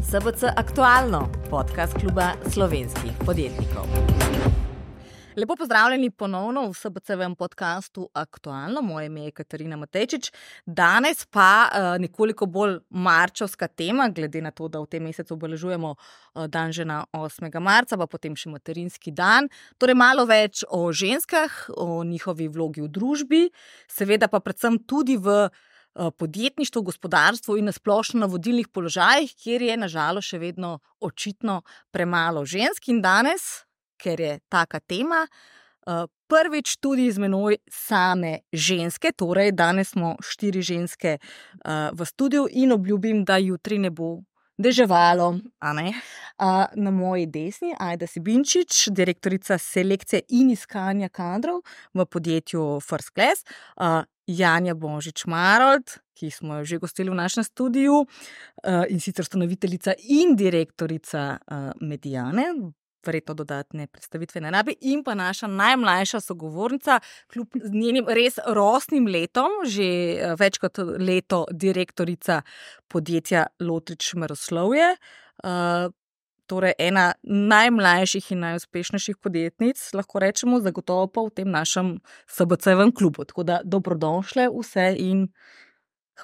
SBC Aktualno, podcast kluba slovenskih podjetnikov. Lepo pozdravljeni ponovno v SBC-vem podcastu Aktualno. Moje ime je Katarina Matejčič. Danes pa nekoliko bolj marčevska tema, glede na to, da v tem mesecu obeležujemo dan žena 8. marca, pa potem še materinski dan. Torej malo več o ženskah, o njihovi vlogi v družbi, seveda pa predvsem tudi v podjetništvu, gospodarstvu in na splošno na vodilnih položajih, kjer je nažalost še vedno očitno premalo žensk. In danes, ker je taka tema, prvič tudi z menoj same ženske, torej danes smo 4 ženske v studiu in obljubim, da jutri ne bo deževalo. Na moji desni Ajda Sibinčič, direktorica selekcije in iskanja kadrov v podjetju First Class, Janja Bonžič-Marolt, ki smo jo že gostili v našem studiu, in sicer ustanoviteljica in direktorica Mediane, verjetno dodatne predstavitve ne rabi, in pa naša najmlajša sogovornica, kljub njenim res rosnim letom, že več kot leto direktorica podjetja Lotrič Meroslovje, torej ena najmlajših in najuspešnejših podjetnic, lahko rečemo, zagotovo pa v tem našem SBC-vem klubu. Tako da dobrodošle vse in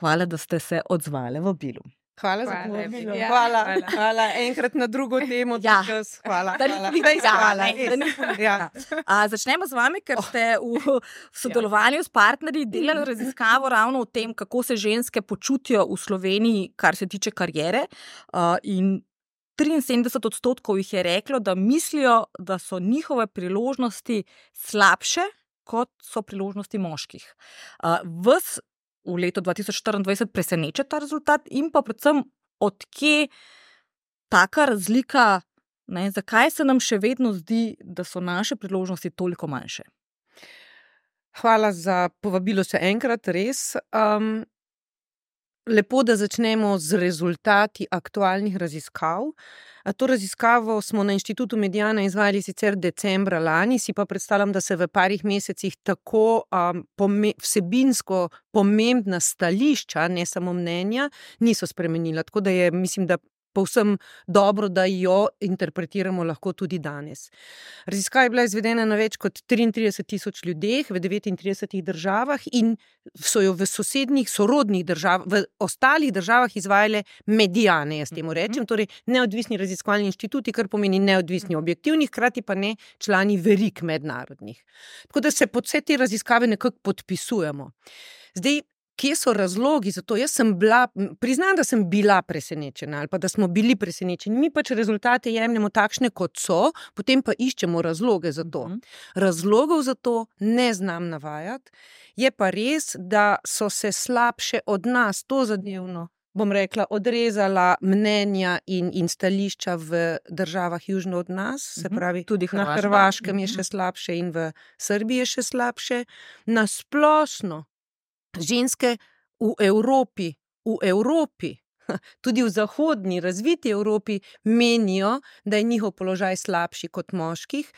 hvala, da ste se odzvale v vabilu. Hvala za povabilo. Hvala. Enkrat na drugo temo. Hvala. Začnemo z vami, ker ste v sodelovanju s partnerji delali raziskavo ravno o tem, kako se ženske počutijo v Sloveniji, kar se tiče kariere, in 73% jih je reklo, da mislijo, da so njihove priložnosti slabše, kot so priložnosti moških. Vas v letu 2024 preseneča ta rezultat in pa predvsem odkje taka razlika, zakaj se nam še vedno zdi, da so naše priložnosti toliko manjše? Hvala za povabilo še enkrat, res. Lepo, da začnemo z rezultati aktualnih raziskav. To raziskavo smo na Inštitutu Mediana izvajali sicer decembra lani, si pa predstavljam, da se v parih mesecih tako vsebinsko pomembna stališča, ne samo mnenja, niso spremenila. Tako da je, mislim, da povsem dobro, da jo interpretiramo lahko tudi danes. Raziskava je bila izvedena na več kot 33,000 ljudeh v 39 državah in so jo v sosednjih, sorodnih državah, v ostalih državah izvajale Mediane, jaz temu rečem, torej neodvisni raziskovalni inštituti, kar pomeni neodvisni objektivni, hkrati pa ne člani verig mednarodnih. Tako da se pod vse te raziskave nekako podpisujemo. Zdaj, kje so razlogi za to? Priznam, da sem bila presenečena ali pa da smo bili presenečeni. Mi pač rezultate jemljemo takšne, kot so, potem pa iščemo razloge za to. Razlogov za to ne znam navajati. Je pa res, da so se slabše od nas tozadevno, bom rekla, odrezala mnenja in stališča v državah južno od nas, se pravi, tudi na Hrvaškem je še slabše in v Srbiji je še slabše. Na splošno ženske v Evropi, tudi v zahodni, razviti Evropi, menijo, da je njihov položaj slabši kot moških.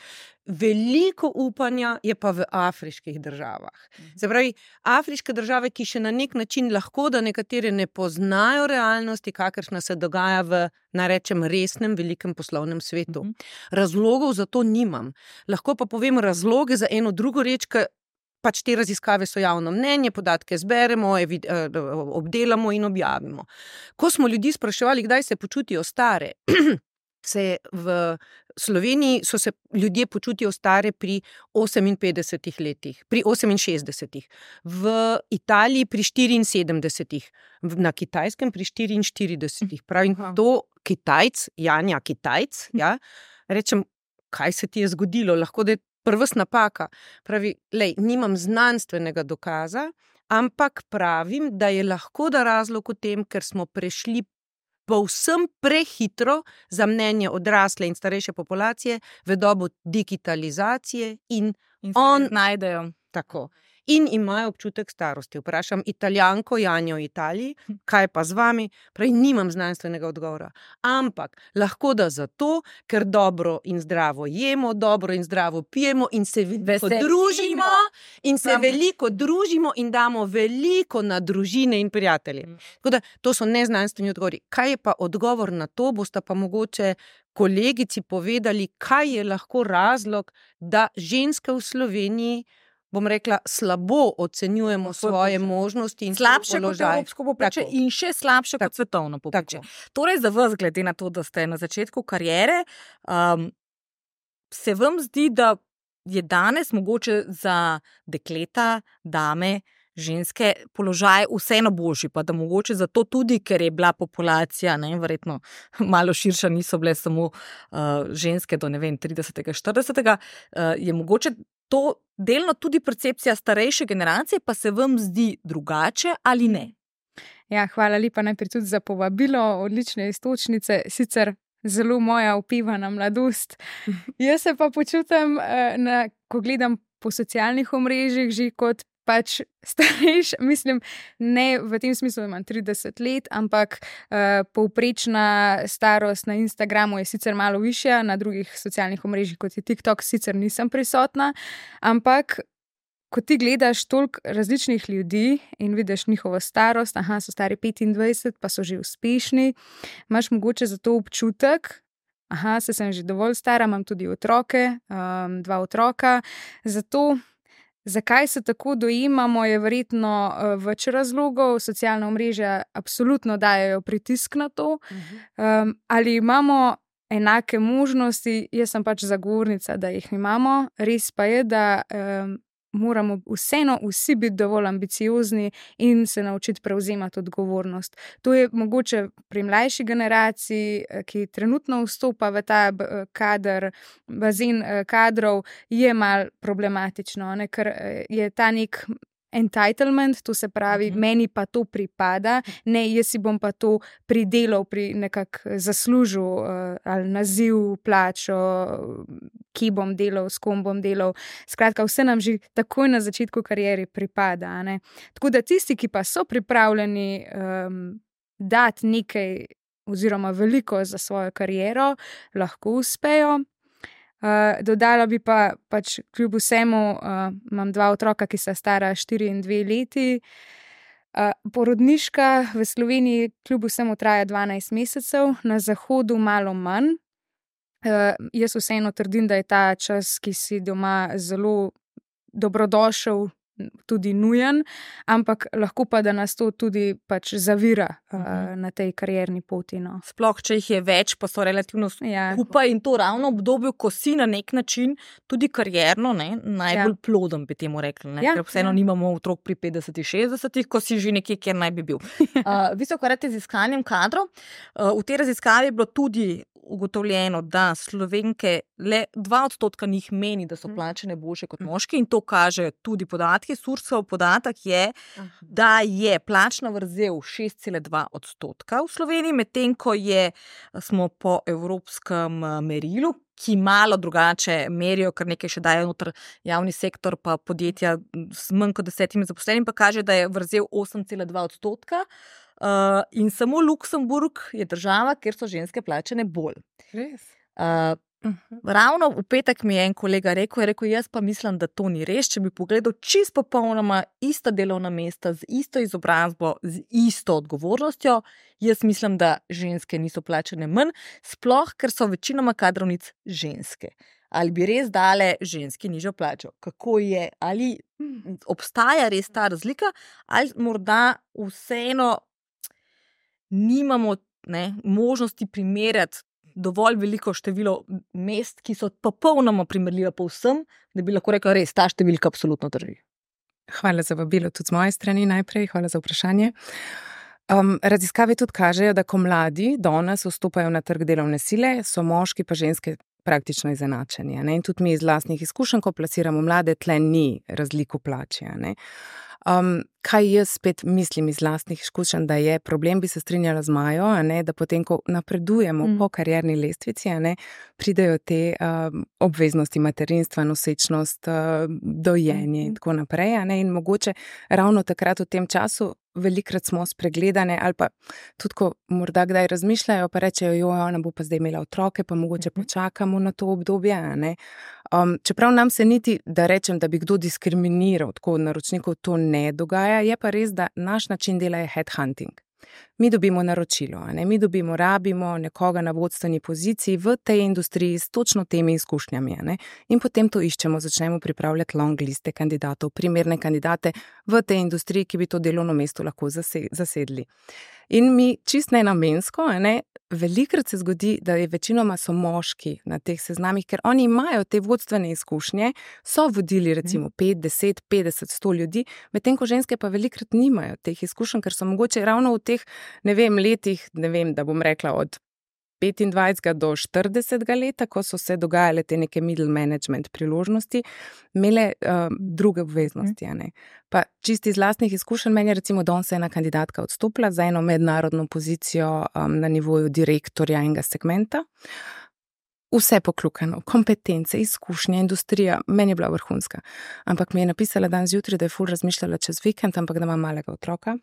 Veliko upanja je pa v afriških državah. Se pravi, afriške države, ki še na nek način lahko, da nekatere ne poznajo realnosti, kakršna se dogaja v, narečem, resnem, velikem poslovnem svetu. Razlogov za to nimam. Lahko pa povem razloge za eno drugo reč, pač te raziskave so javno mnenje, podatke zberemo, obdelamo in objavimo. Ko smo ljudi spraševali, kdaj se počutijo stare, v Sloveniji so se ljudje počutijo stare pri 58 letih, pri 68, v Italiji pri 74, na Kitajskem pri 44. Pravim, to Kitajc, Janja Kitajc, rečem, kaj se ti je zgodilo, lahko da je prvs napaka. Pravi, nimam znanstvenega dokaza, ampak pravim, da je lahko da razlog v tem, ker smo prešli povsem prehitro za mnenje odrasle in starejše populacije v dobo digitalizacije in najdejo. Tako. in imajo občutek starosti. Vprašam Italijanko Janjo v Italiji, kaj pa z vami? Pravi, nimam znanstvenega odgovora. Ampak lahko da zato, ker dobro in zdravo jemo, dobro in zdravo pijemo in se veliko družimo in damo veliko na družine in prijatelje. Tako da to so neznanstveni odgovori. Kaj je pa odgovor na to? Boste pa mogoče kolegici povedali, kaj je lahko razlog, da ženske v Sloveniji, bom rekla, slabo ocenjujemo svoje možnosti in slabše kot evropsko povprečje in še slabše kot svetovno povprečje. Torej, za vas, glede na to, da ste na začetku kariere, se vam zdi, da je danes mogoče za dekleta, dame, ženske položaj vseeno boljši, pa da mogoče zato tudi, ker je bila populacija, verjetno malo širša, niso bile samo ženske do 30. 40. Je mogoče to delno tudi percepcija starejše generacije, pa se vam zdi drugače ali ne? Ja, hvala lepa najprej tudi za povabilo, odlične iztočnice, sicer zelo moja opevana mladost. Jaz se pa počutim, ko gledam po socialnih omrežjih, že kot pač starejša, mislim, ne v tem smislu, da imam 30 let, ampak povprečna starost na Instagramu je sicer malo višja, na drugih socialnih omrežjih, kot je TikTok, sicer nisem prisotna, ampak ko ti gledaš toliko različnih ljudi in vidiš njihovo starost, so stari 25, pa so že uspešni, imaš mogoče za to občutek, se sem že dovolj stara, imam tudi otroke, 2 otroka, zato zakaj se tako dojemamo, je verjetno več razlogov. Socialna omrežja absolutno dajejo pritisk na to. Ali imamo enake možnosti? Jaz sem pač zagovornica, da jih imamo. Res pa je, da moramo vseeno vsi biti dovolj ambiciozni in se naučiti prevzemati odgovornost. To je mogoče pri mlajši generaciji, ki trenutno vstopa v ta bazen kadrov, je malo problematično, ker je ta nek entitlement, to se pravi, meni pa to pripada, ne, jaz si bom pa to pridelal, zaslužil, ali naziv, plačo, ki bom delal, s kom bom delal. Skratka, vse nam že takoj na začetku kariere pripada. Tako da tisti, ki pa so pripravljeni dati nekaj oziroma veliko za svojo kariero, lahko uspejo. Dodala bi pa pač kljub vsemu, imam 2 otroka, ki sta stara 4 in 2 leti. Porodniška v Sloveniji kljub vsemu traja 12 mesecev, na zahodu malo manj. Jaz vseeno trdim, da je ta čas, ki si doma, zelo dobrodošel, tudi nujen, ampak lahko pa, da nas to tudi pač zavira na tej karierni poti. Sploh, če jih je več, pa so relativno skupaj in to ravno v obdobju, ko si na nek način tudi karierno najbolj ploden, bi temu rekli. Ker vseeno nimamo otrok pri 50-60, ko si že nekje, kjer naj bi bil. Vi se ukvarjate z iskanjem kadrov. V tej raziskavi je bilo tudi ugotovljeno, da Slovenke le 2% njih meni, da so plačane boljše kot moški, in to kaže tudi podatki. Sursov podatek je, da je plačna vrzel 6,2% v Sloveniji, medtem ko smo po evropskem merilu, ki malo drugače merijo, ker nekaj še dajo noter javni sektor, pa podjetja s manj kot 10 zaposlenimi, pa kaže, da je vrzel 8,2%. In samo Luksemburg je država, kjer so ženske plačane bolj. Res? Ravno v petek mi je en kolega rekel, jaz pa mislim, da to ni res. Če bi pogledal čisto popolnoma ista delovna mesta, z isto izobrazbo, z isto odgovornostjo, jaz mislim, da ženske niso plačane manj, sploh, ker so večinoma kadrovnic ženske. Ali bi res dale ženski nižjo plačo? Kako je? Ali obstaja res ta razlika? Ali morda vseeno nimamo možnosti primerjati dovolj veliko število mest, ki so popolnoma primerljiva povsem, da bi lahko rekel, res ta številka absolutno drži? Hvala za vabilo tudi z moje strani najprej, hvala za vprašanje. Raziskave tudi kažejo, da ko mladi danes vstopajo na trg delovne sile, so moški pa ženske praktično izenačeni. In tudi mi iz lastnih izkušenj, ko plasiramo mlade, tle ni razliko plači. Kaj jaz spet mislim iz lastnih izkušenj, da je problem, bi se strinjala z Majo, a ne, da potem, ko napredujemo po karierni lestvici, a ne, pridejo te obveznosti materinstva, nosečnost, dojenje in tako naprej, a ne, in mogoče ravno takrat v tem času velikrat smo spregledane ali pa tudi, ko morda kdaj razmišljajo, pa rečejo, ona bo pa zdaj imela otroke, pa mogoče počakamo na to obdobje, a ne. Čeprav nam se niti, da rečem, da bi kdo diskriminiral tako od naročnikov, to ne dogaja, je pa res, da naš način dela je headhunting. Mi dobimo naročilo, a ne? Mi rabimo nekoga na vodstveni poziciji v tej industriji s točno temi izkušnjami, a ne? In potem to iščemo, začnemo pripravljati long liste kandidatov, primerne kandidate v tej industriji, ki bi to delovno mesto lahko zasedli. In mi čist nenamensko, a ne, velikrat se zgodi, da je večinoma so moški na teh seznamih, ker oni imajo te vodstvene izkušnje, so vodili recimo 5, 10, 50, 100 ljudi, medtem ko ženske pa velikrat nimajo teh izkušenj, ker so mogoče ravno v teh, letih, da bom rekla od 25 do 40 leta, ko so se dogajale te neke middle management priložnosti, imele druge obveznosti, a ne. Pa čisti iz lastnih izkušenj, meni je recimo danes ena kandidatka odstopila za eno mednarodno pozicijo na nivoju direktorja enega segmenta. Vse poklukano, kompetence, izkušnje, industrija, meni je bila vrhunska. Ampak mi je napisala danes zjutraj, da je ful razmišljala čez vikend, ampak da ima malega otroka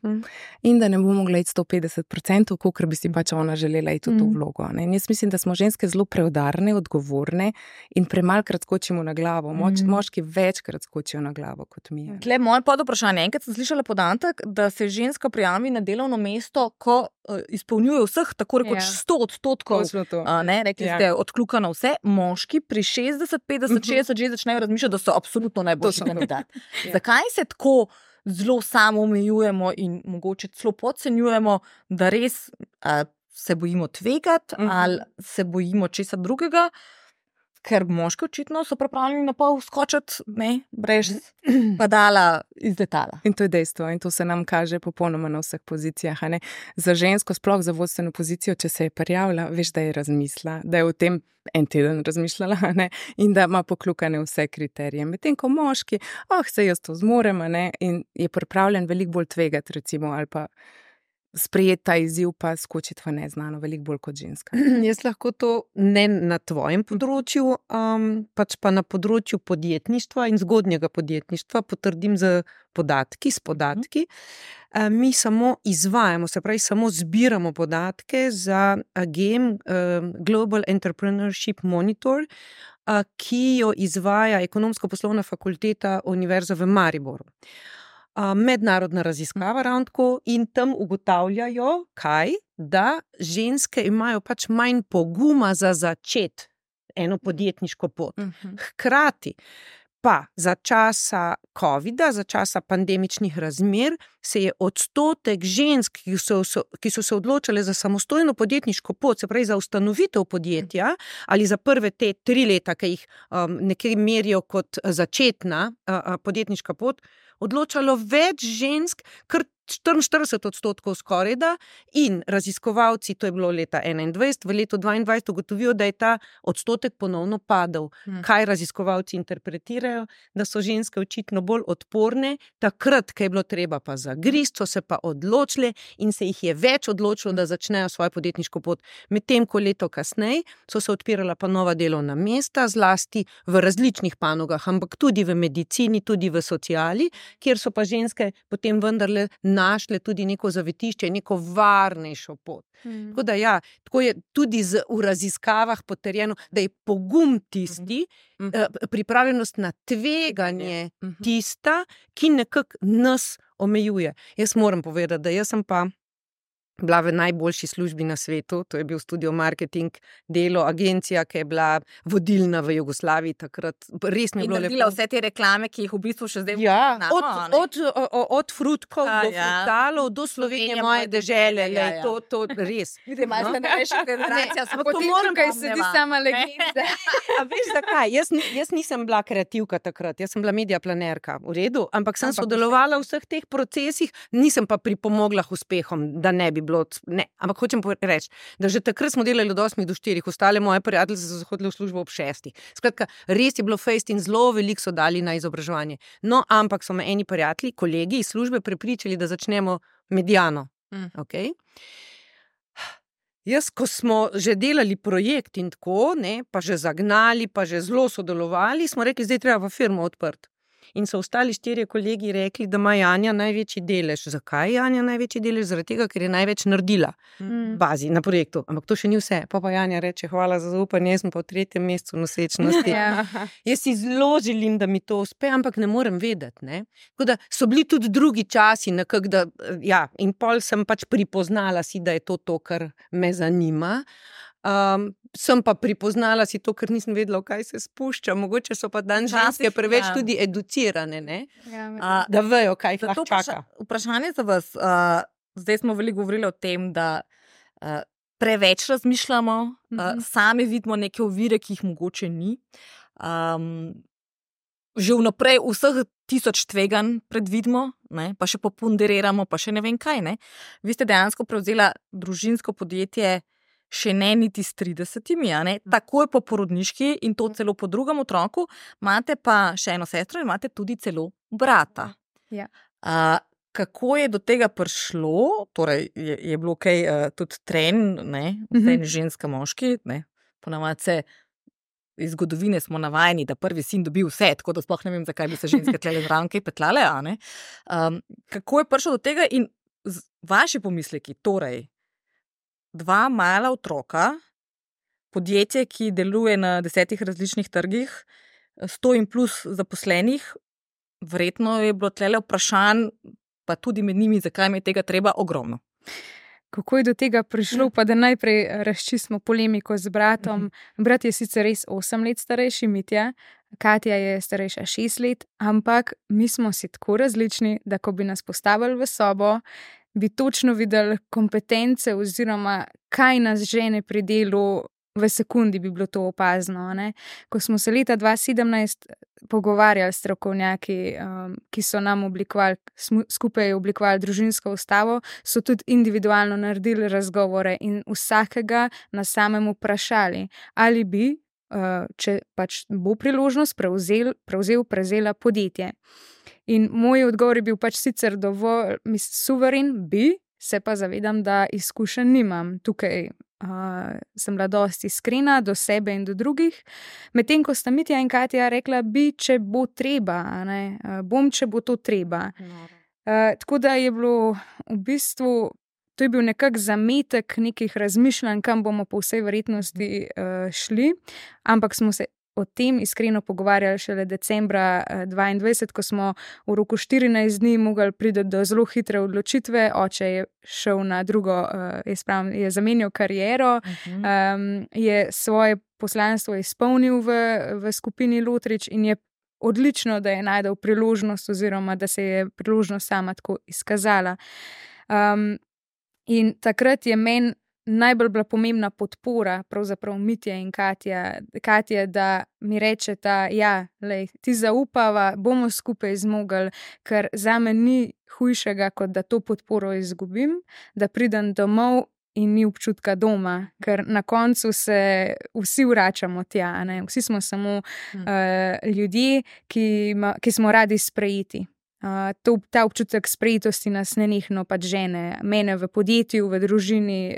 in da ne bo mogla iti 150%, kolikor bi si pač ona želela iti v to vlogo. Ne? In jaz mislim, da smo ženske zelo preudarne, odgovorne in premalkrat skočimo na glavo. Moški večkrat skočijo na glavo kot mi. Tle moje podvprašanje. Enkrat sem slišala podatek, da se ženska prijavi na delovno mesto, ko izpolnjuje vseh tako rekoč 100%, ne, rekli ste, odkljukano vse, moški pri 60, 50, 60 že začnejo razmišljati, da so absolutno najboljši kandidat. Zakaj se tako zelo samoomejujemo in mogoče celo podcenjujemo, da res se bojimo tvegati ali se bojimo česa drugega? Ker moški očitno so pripravljeni na pol skočiti, ne, brez padala iz letala. In to je dejstvo in to se nam kaže popolnoma na vseh pozicijah, a ne. Za žensko, sploh za vodstveno pozicijo, če se je prijavila, veš, da je razmislila, da je o tem en teden razmišljala, a ne, in da ima poklukane vse kriterije. Medtem ko moški, se jaz to zmorem, a ne, in je pripravljen veliko bolj tvegati, recimo, ali pa sprejeti ta izziv pa skočiti v neznano, veliko bolj kot ženska. Jaz lahko to ne na tvojem področju, pač pa na področju podjetništva in zgodnjega podjetništva potrdim s podatki. Mi samo izvajamo, se pravi, samo zbiramo podatke za GEM, Global Entrepreneurship Monitor, ki jo izvaja Ekonomsko-poslovna fakulteta Univerze v Mariboru. Mednarodna raziskava ravno tako in tam ugotavljajo, da ženske imajo pač manj poguma za začeti eno podjetniško pot. Hkrati pa za časa covida, za časa pandemičnih razmer se je odstotek žensk, ki so se odločile za samostojno podjetniško pot, se pravi za ustanovitev podjetja ali za prve te 3 leta, ki jih nekaj merijo kot začetna podjetniška pot, odločalo več žensk, kar 44% skorajda, in raziskovalci, to je bilo leta 2021, v letu 2022 ugotovijo, da je ta odstotek ponovno padel. Kaj raziskovalci interpretirajo? Da so ženske očitno bolj odporne, takrat, ko je bilo treba pa zagristi, so se pa odločile in se jih je več odločilo, da začnejo svojo podjetniško pot. Medtem ko leto kasneje so se odpirala pa nova delovna mesta, zlasti v različnih panogah, ampak tudi v medicini, tudi v sociali, kjer so pa ženske potem vendarle našle tudi neko zavetišče, neko varnejšo pot. Tako da tako je tudi v raziskavah potrjeno, da je pogum tisti, pripravljenost na tveganje tista, ki nekako nas omejuje. Jaz moram povedati, da jaz sem pa bila v najboljši službi na svetu, to je bil Studio Marketing, delo, agencija, ki je bila vodilna v Jugoslaviji takrat. Res mi je bilo lepo. In naredila vse te reklame, ki jih v bistvu še zdaj od frutkov do frutalov, do Slovenije, moje dežele. To res. Vidite, imaš na največja generacija, ampak to moram, kaj sedi sama legenda. A veš zakaj? Jaz nisem bila kreativka takrat, jaz sem bila mediaplanerka, v redu, ampak sem sodelovala v vseh teh procesih, nisem pa pripomogla k uspehom, da ne bi bilo, ne, ampak hočem reči, da že takrat smo delali od 8 do 4, ostale moje prijateljice so zahodile v službo ob 6. Skratka, res je bilo fejst in zelo veliko so dali na izobraževanje. No, ampak so me eni prijatelji, kolegi iz službe prepričali, da začnemo Mediano. Okay? Jaz, ko smo že delali projekt in tako, ne, pa že zagnali, pa že zelo sodelovali, smo rekli, zdaj treba v firmo odprti. In so ostali 4 kolegi rekli, da ima Janja največji delež. Zakaj Janja največji delež? Zaradi tega, ker je največ naredila bazi na projektu. Ampak to še ni vse. Pa Janja reče, hvala za zaupanje, jaz sem pa v 3. mesecu nosečnosti. Jaz si zelo želim, da mi to uspe, ampak ne morem vedeti. Ne? Tako da so bili tudi drugi časi, nekako, da, ja, in pol sem pač pripoznala si, da je to, kar me zanima. Sem pa pripoznala si to, ker nisem vedela, v kaj se spušča. Mogoče so pa danes ženske preveč tudi educirane, ne? Da vejo, kaj jih lahko čaka. Vprašanje za vas. Zdaj smo veliko govorili o tem, da preveč razmišljamo, sami vidimo neke ovire, ki jih mogoče ni. Že vnaprej vseh 1000 tveganj predvidimo, ne? Pa še poponderiramo, pa še ne vem kaj. Ne? Vi ste dejansko prevzela družinsko podjetje še ne niti s 30, ne? Takoj po porodniški in to celo po drugem otroku, imate pa še eno sestro in imate tudi celo brata. Ja. Kako je do tega prišlo? Torej, je bilo kaj tudi trend, ne? Ženska, moški, ne? Ponavadi se iz zgodovine smo navajeni, da prvi sin dobi vse, tako da sploh ne vem, zakaj bi se ženske tlele zraven kaj petlale, a ne? Kako je prišlo do tega in vaši pomisleki, torej, 2 mala otroka, podjetje, ki deluje na 10 različnih trgih, 100 in plus zaposlenih, verjetno je bilo tlele vprašanj, pa tudi med njimi, zakaj mi je tega treba, ogromno. Kako je do tega prišlo, pa da najprej razčistimo polemiko z bratom. Brat je sicer res 8 let starejši, Mitja, Katja je starejša 6 let, ampak mi smo si tako različni, da ko bi nas postavili v sobo, bi točno videli kompetence oziroma kaj nas žene pri delu, v sekundi bi bilo to opazno. Ne? Ko smo se leta 2017 pogovarjali s strokovnjaki, ki so nam skupaj oblikovali družinsko ustavo, so tudi individualno naredili razgovore in vsakega na samem vprašali, ali bi, če pač bo priložnost, prevzela podjetje. In moj odgovor je bil pač sicer dovolj suveren, se pa zavedam, da izkušenj nimam. Tukaj sem bila dosti iskrena do sebe in do drugih. Medtem ko sta Mitja in Katja rekla, če bo treba, ne? Bom, če bo to treba. Tako da je bilo v bistvu, to je bil nekak zametek nekih razmišljanj, kam bomo po vsej verjetnosti šli, ampak smo se o tem iskreno pogovarjali šele decembra 2022, ko smo v roku 14 dni mogli priti do zelo hitre odločitve. Oče je šel na drugo, je zamenjal kariero, je svoje poslanstvo izpolnil v skupini Lotrič in je odlično, da je našel priložnost oziroma da se je priložnost sama tako izkazala. In takrat je meni najbolj bila pomembna podpora, pravzaprav Mitja in Katja, da mi rečeta, ja, lej, ti zaupava, bomo skupaj zmogli, ker zame ni hujšega, kot da to podporo izgubim, da pridem domov in ni občutka doma, ker na koncu se vsi vračamo tja, ne? Vsi smo samo ljudje, ki smo radi sprejeti. Ta občutek sprejetosti nas nenehno pač žene, mene v podjetju, v družini,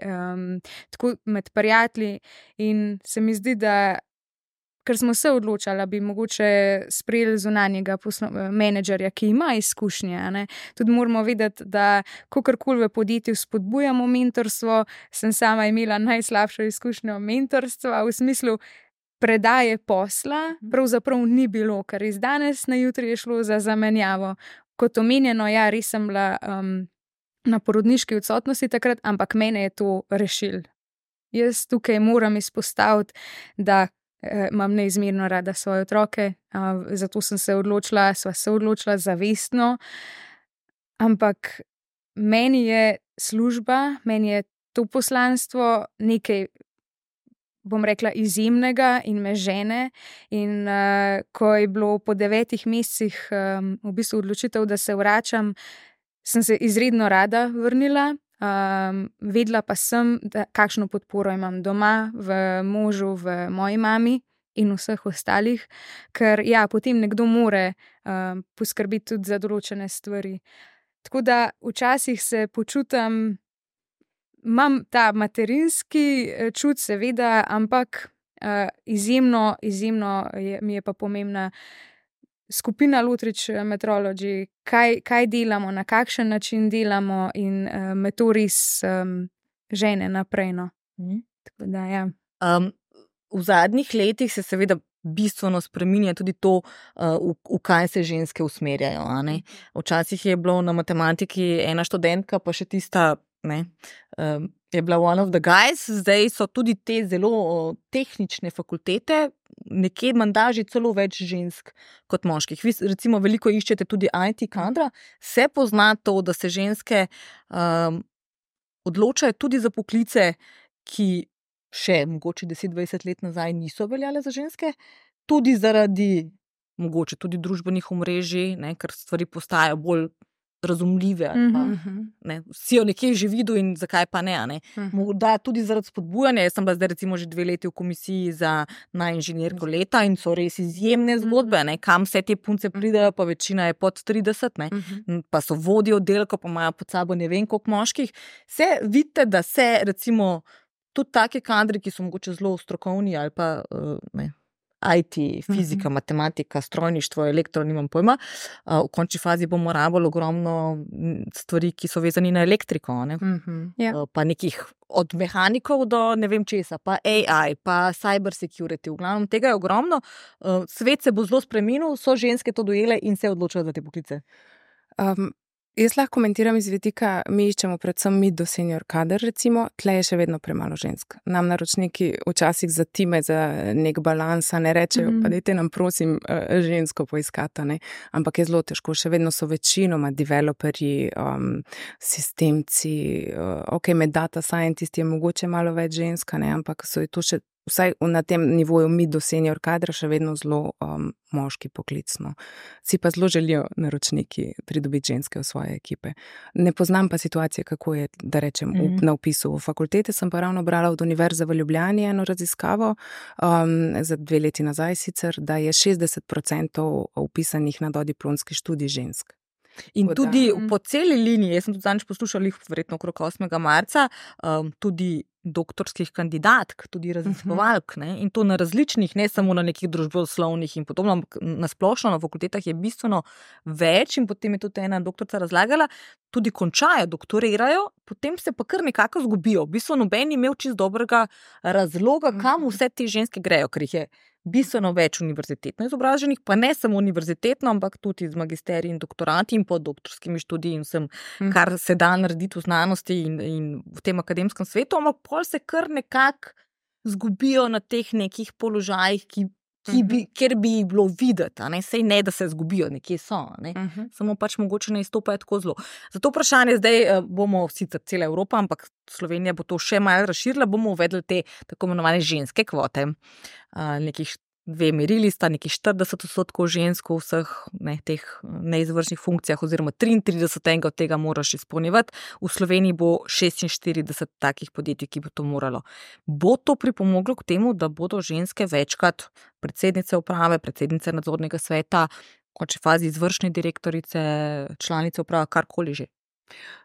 tako med prijatelji in se mi zdi, da ker smo se odločali, bi mogoče sprejeli zunanjega menedžerja, ki ima izkušnje, ne? Tudi moramo vedeti, da kakorkoli v podjetju spodbujamo mentorstvo, sem sama imela najslabšo izkušnjo mentorstva v smislu predaje posla, pravzaprav ni bilo, ker iz danes na jutri je šlo za zamenjavo. Kot omenjeno, ja, res sem bila na porodniški odsotnosti takrat, ampak mene je to rešil. Jaz tukaj moram izpostaviti, da imam neizmerno rada svoje otroke, zato sva se odločila zavestno, ampak meni je služba, meni je to poslanstvo nekaj, bom rekla, izjemnega in me žene. In ko je bilo po 9 mesecih v bistvu odločitev, da se vračam, sem se izredno rada vrnila, Vedela pa sem, kakšno podporo imam doma, v možu, v moji mami in vseh ostalih, ker potem nekdo more poskrbeti tudi za določene stvari. Tako da včasih se počutim, imam ta materinski čut, seveda, ampak izjemno mi je pa pomembna skupina Lutrič Metrology, kaj delamo, na kakšen način delamo in me to res žene naprej. No. Tako da, v zadnjih letih se seveda bistveno spreminja tudi to, v kaj se ženske usmerjajo. Včasih je bilo na matematiki ena študentka, pa še tista, je bila one of the guys, zdaj so tudi te zelo tehnične fakultete, nekje menda že celo več žensk kot moških. Vi recimo veliko iščete tudi IT kadra, se pozna to, da se ženske odločajo tudi za poklice, ki še mogoče 10-20 let nazaj niso veljale za ženske, tudi zaradi mogoče tudi družbenih omrežij, ker stvari postajajo bolj razumljive. Vsi jo nekje že videl in zakaj pa ne. Morda tudi zaradi spodbujanja. Jaz sem bila zdaj recimo že 2 leti v komisiji za inženirko leta in so res izjemne zgodbe, kam vse te punce pridejo, pa večina je pod 30, pa so vodje oddelkov, pa imajo pod sabo ne vem koliko moških. Se vidite, da se recimo tudi take kadri, ki so mogoče zelo strokovni ali pa IT, fizika, matematika, strojništvo, elektro, nimam pojma. V končni fazi bomo rabili ogromno stvari, ki so vezani na elektriko, pa nekih od mehanikov do ne vem česa, pa AI, pa cyber security, v glavnem tega je ogromno. Svet se bo zelo spremenil, so ženske to dojele in se odločajo za te poklice. Jaz lahko komentiram iz vidika, mi iščemo predvsem mid do senior kader, recimo, tle je še vedno premalo žensk. Nam naročniki včasih zatime za nek balans, ne rečejo, pa dajte nam prosim žensko poiskati, ampak je zelo težko, še vedno so večinoma developerji, sistemci, med data scientisti je mogoče malo več ženska, ampak so je to še vsaj na tem nivoju mid do senior kadra še vedno zelo moški poklicno. Si pa zelo želijo naročniki pridobiti ženske v svoje ekipe. Ne poznam pa situacije, kako je, da rečem, na vpisu v fakultete. Sem pa ravno brala od Univerze v Ljubljani eno raziskavo, za 2 leti nazaj sicer, da je 60% vpisanih na dodiplomski študij žensk. In tudi po celi liniji, jaz sem tudi zadnjič poslušala, verjetno okrog 8. marca, tudi doktorskih kandidatk, tudi raziskovalk, in to na različnih, ne samo na nekih družboslovnih in podobno, na splošno na fakultetah je bistveno več in potem je tudi ena doktorica razlagala, tudi končajo, doktorirajo, potem se pa kar nekako zgubijo. V bistvu noben imel čisto dobrega razloga, kam vse te ženske grejo, ker jih je bistveno več univerzitetno izobraženih, pa ne samo univerzitetno, ampak tudi z magisteriji in doktorati in podoktorskimi študiji in vsem, kar se da narediti v znanosti in v tem akademskem svetu, ampak pol se kar nekako zgubijo na teh nekih položajih, kjer bi jih bilo videti, sej ne, da se zgubijo, nekje so, samo pač mogoče ne izstopajo tako zelo. Zato vprašanje zdaj bomo sicer cela Evropa, ampak Slovenija bo to še malo razširila, bomo uvedli te tako imenovane ženske kvote. Nekih 2 merili sta, nekih 40% žensk v vseh teh neizvršnih funkcijah, oziroma 33 od tega moraš izpolnjevati. V Sloveniji bo 46 takih podjetij, ki bo to moralo. Bo to pripomoglo k temu, da bodo ženske večkrat predsednice uprave, predsednice nadzornega sveta, v končni fazi izvršne direktorice, članice uprave, karkoli že?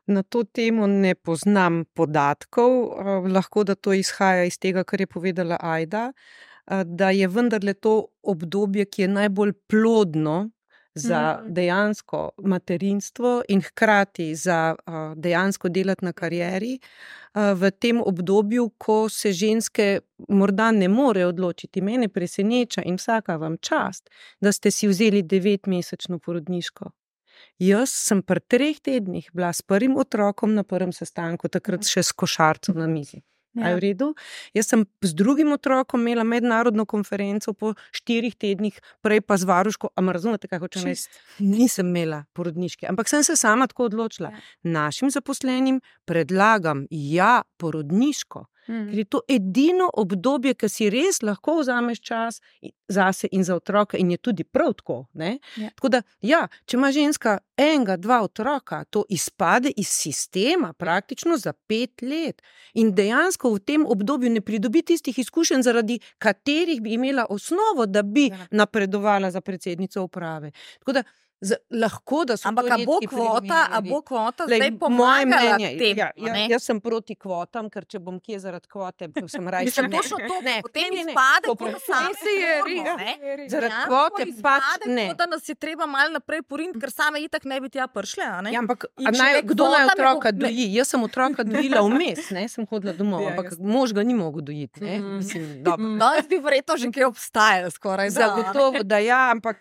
Na to temo ne poznam podatkov, lahko da to izhaja iz tega, kar je povedala Ajda, da je vendarle to obdobje, ki je najbolj plodno za dejansko materinstvo in hkrati za dejansko delati na karieri, v tem obdobju, ko se ženske morda ne more odločiti. Mene preseneča in vsaka vam čast, da ste si vzeli 9-mesečno porodniško. Jaz sem pri 3 tednih bila s prvim otrokom na prvem sestanku, takrat še s košarcem na mizi. A je v redu? Jaz sem z drugim otrokom imela mednarodno konferenco po 4 tednih, prej pa z varuško, a me razumete, kaj hočem reči? Nisem imela porodniške, ampak sem se sama tako odločila. Našim zaposlenim predlagam, porodniško, Ker je to edino obdobje, ki si res lahko vzameš čas zase in za otroka in je tudi prav tako. Ne? Ja. Tako da, ja, če ima ženska 1-2 otroka, to izpade iz sistema praktično za 5 let. In dejansko v tem obdobju ne pridobi tistih izkušenj, zaradi katerih bi imela osnovo, da bi napredovala za predsednico uprave. Tako da, lahko, da so ampak to a bo redki kvota primeri. zdaj pomagala tem? Jaz sem proti kvotam, ker če bom kje zaradi kvote, sem rajši. Mislim, točno to, potem izpade, kot sami se je res. Zaradi kvote pač ne. Da nas je treba malo naprej poriniti, ker same itak ne bi tja prišle. Ja, ampak kdo naj otroka doji? Jaz sem otroka dojila vmes, sem hodila domov, ampak mož ga ni mogel dojiti. Danes bi verjetno že kaj obstajalo skoraj. Zagotovo, da ja, ampak